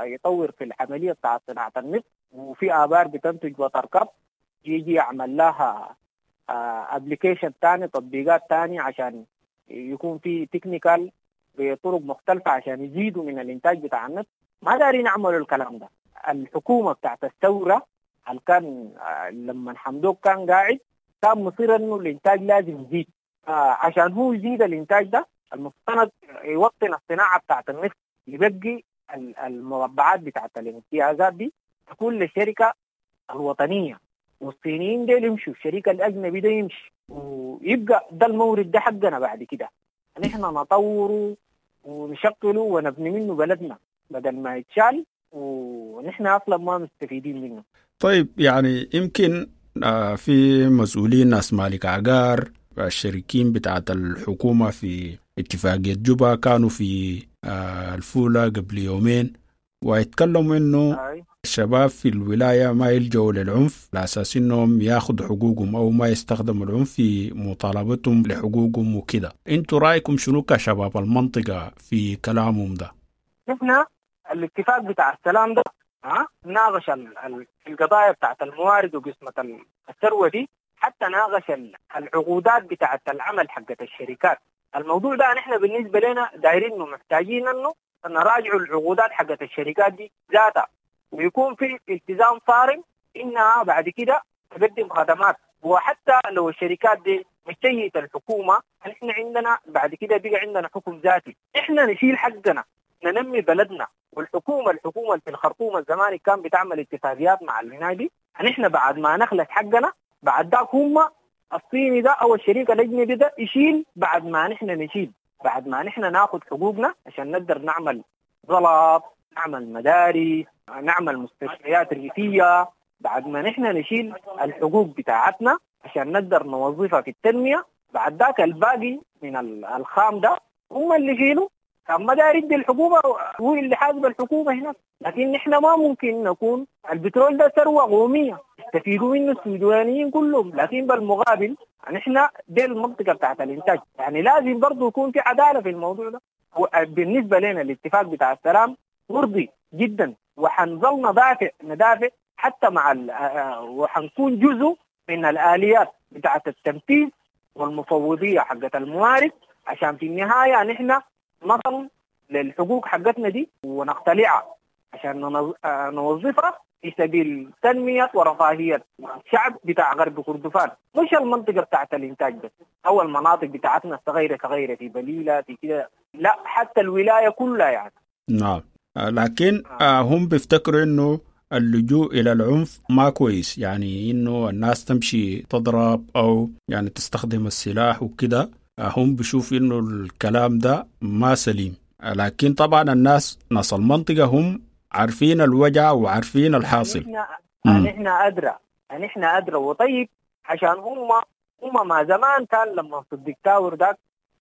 يطور في العملية بتاع صناعة النفط. وفي آبار بتنتج وتركب يجي يعمل لها application ثاني، تطبيقات ثانية عشان يكون في technical بطرق مختلفة عشان يزيدوا من الإنتاج بتاع النفط. ما دارين يعملوا الكلام ده. الحكومة بتاعت الثورة اللي كان لما حمدوك كان قاعد كان مصير إنه الإنتاج لازم يزيد، عشان هو يزيد الإنتاج ده المفترض يوطن الصناعة بتاعت النفط، يبقي المربعات بتاعت الامتيازات دي تكون للشركة الوطنية، والصينيين ديل يمشوا، الشريك الأجنبي ده يمشي، ويبقى ده المورد ده حقنا بعد كده نحن نطوره ونشغله ونبني منه بلدنا بدل ما يتشال ونحن أصلا ما مستفيدين منه. طيب يعني يمكن في مسؤولين ناس مالك عقار الشريكين بتاعت الحكومة في اتفاقية جوبا كانوا في الفولة قبل يومين ويتكلموا إنه الشباب في الولاية ما يلجأوا للعنف على أساس إنهم ياخذوا حقوقهم أو ما يستخدموا العنف في مطالبتهم لحقوقهم وكده. أنتوا رأيكم شنو كشباب المنطقة في كلامهم ده؟ نحن الاتفاق بتاع السلام ده ناقش القضايا بتاعت الموارد وقسمة الثروة دي، حتى ناقش العقودات بتاعت العمل حقت الشركات. الموضوع ده نحن بالنسبة لنا دايرين محتاجين إنه نراجع العقودات حقت الشركات دي ذاتها، ويكون في التزام صارم إنها بعد كده تقدم خدمات. وحتى لو الشركات دي مشيت الحكومة، نحن عندنا بعد كده بقى عندنا حكم ذاتي، إحنا نشيل حقنا ننمي بلدنا. والحكومة في الخرطوم الزمان كان بتعمل اتفاقيات مع الهنادي، نحن بعد ما نخلص حقنا بعد ذاك هم الصيني ده أو الشريك الأجنبي ده يشيل، بعد ما نحن نشيل، بعد ما نحن ناخذ حقوقنا عشان نقدر نعمل زلط، نعمل مدارس، نعمل مستشفيات ريفية. بعد ما نحن نشيل الحقوق بتاعتنا عشان نقدر نوظفها في التنمية، بعد ذاك الباقي من الخام ده هم اللي يشيلوا. كان ما داير يدي الحكومة هو اللي حاسب الحكومة هناك، لكن نحن ما ممكن نكون البترول ده ثروة قومية يستفيدوا منه السودانيين كلهم، لكن بالمقابل نحن دي المنطقة بتاعت الإنتاج، يعني لازم برضو يكون في عدالة في الموضوع ده. وبالنسبة لنا الاتفاق بتاع السلام مرضي جدا، وحنظل ندافع حتى مع وحنكون جزء من الآليات بتاعت التنفيذ والمفوضية حقت الموارد، عشان في النهاية نحن نصل للحقوق حقتنا دي ونقتلعها عشان نوظفها في سبيل تنمية ورفاهية الشعب بتاع غرب كردفان، مش المنطقة بتاعت الإنتاج بس أو المناطق بتاعتنا الصغيرة صغيرة في بليلة في كده، لا حتى الولاية كلها يعني. نعم، لكن هم بيفتكروا إنه اللجوء إلى العنف ما كويس، يعني إنه الناس تمشي تضرب أو يعني تستخدم السلاح وكده، هم بيشوفوا إنه الكلام ده ما سليم. لكن طبعا الناس ناس المنطقة هم عارفين الوجع وعارفين الحاصل. نحن أدرى نحن ادرى. وطيب عشان هم ما زمان كان لما صديق تاور ذاك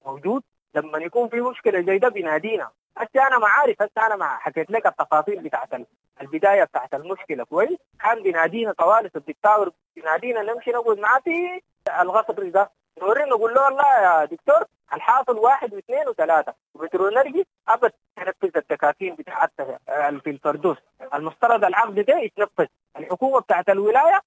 موجود لما يكون في مشكلة زي ده بينادينا. هسه انا ما عارف، هسه انا ما حكيت لك التفاصيل بتاعت البداية بتاعت المشكلة كويس. كان بينادينا طوالي صديق تاور بينادينا نمشي نقعد معاه في القصر ده، نوريه نقول له والله يا دكتور الحاصل 1 و2 و3، وبترونرجي ابد تنفذ التكاكين بتاعتها في الفردوس، المفترض العقد ده يتنفذ. الحكومة بتاعت الولاية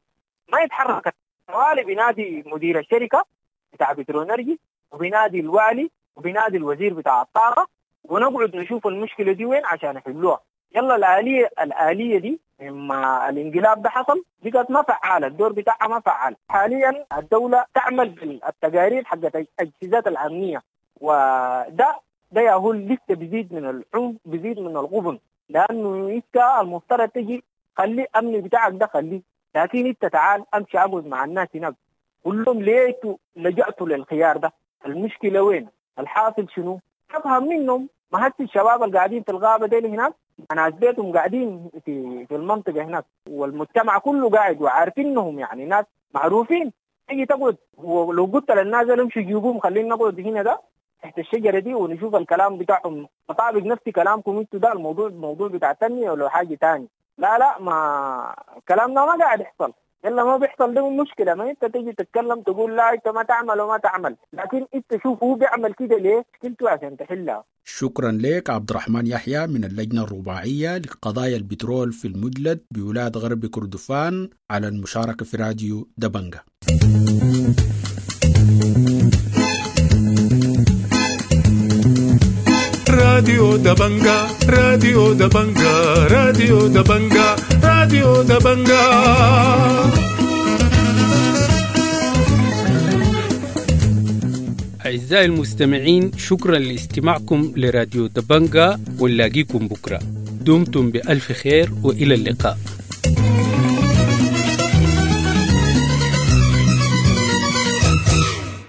ما يتحركت، طوالي بينادي مدير الشركة بتاع بترونرجي وبينادي الوالي وبينادي الوزير بتاع الطاقة، ونقعد نشوف المشكلة دي وين عشان يحلوها. يلا الآلية دي لما الانقلاب ده حصل بقت ما فعالة، الدور بتاعها ما فعال. حاليا الدولة تعمل بالتقارير حقت الأجهزات الأمنية، وده ده يا لسه بيزيد من العنف، بيزيد من الغبن، لأنه انت المفترض تجي خلي الأمن بتاعك ده خليه، لكن انت تعال امشي اقعد مع الناس هناك قول لهم ليه لجأتوا للخيار ده، المشكلة وين، الحاصل شنو، افهم منهم. ما هسه الشباب اللي قاعدين في الغابة ديل هناك ناس بيتهم قاعدين في المنطقة هناك، والمجتمع كله قاعد وعارفينهم، يعني ناس معروفين. تيجي تقعد ولو قلت للناس امشوا جيبوهم خلينا نقعد هنا ده تحت الشجرة دي ونشوف الكلام بتاعهم مطابق نفس كلامكم انتوا ده، الموضوع موضوع بتاع تنمية ولا حاجة ثانية. لا لا، ما كلامنا ما قاعد يحصل. يلا ما بيحصل ده مشكلة. ما انت تيجي تتكلم تقول لا انت ما تعمل وما تعمل، لكن انت شوف هو بيعمل كده ليه، مشكلته عشان تحلها. شكرا لك عبد الرحمن يحيى من اللجنة الرباعية لقضايا البترول في المجلد بولاية غرب كردفان على المشاركة في راديو دبنجة. راديو دبنجة، راديو دبنجة، راديو دبنجة، راديو دبنجة. أعزائي المستمعين، شكرا لاستماعكم لراديو دبنجة، ونلاقيكم بكرة. دمتم بألف خير وإلى اللقاء.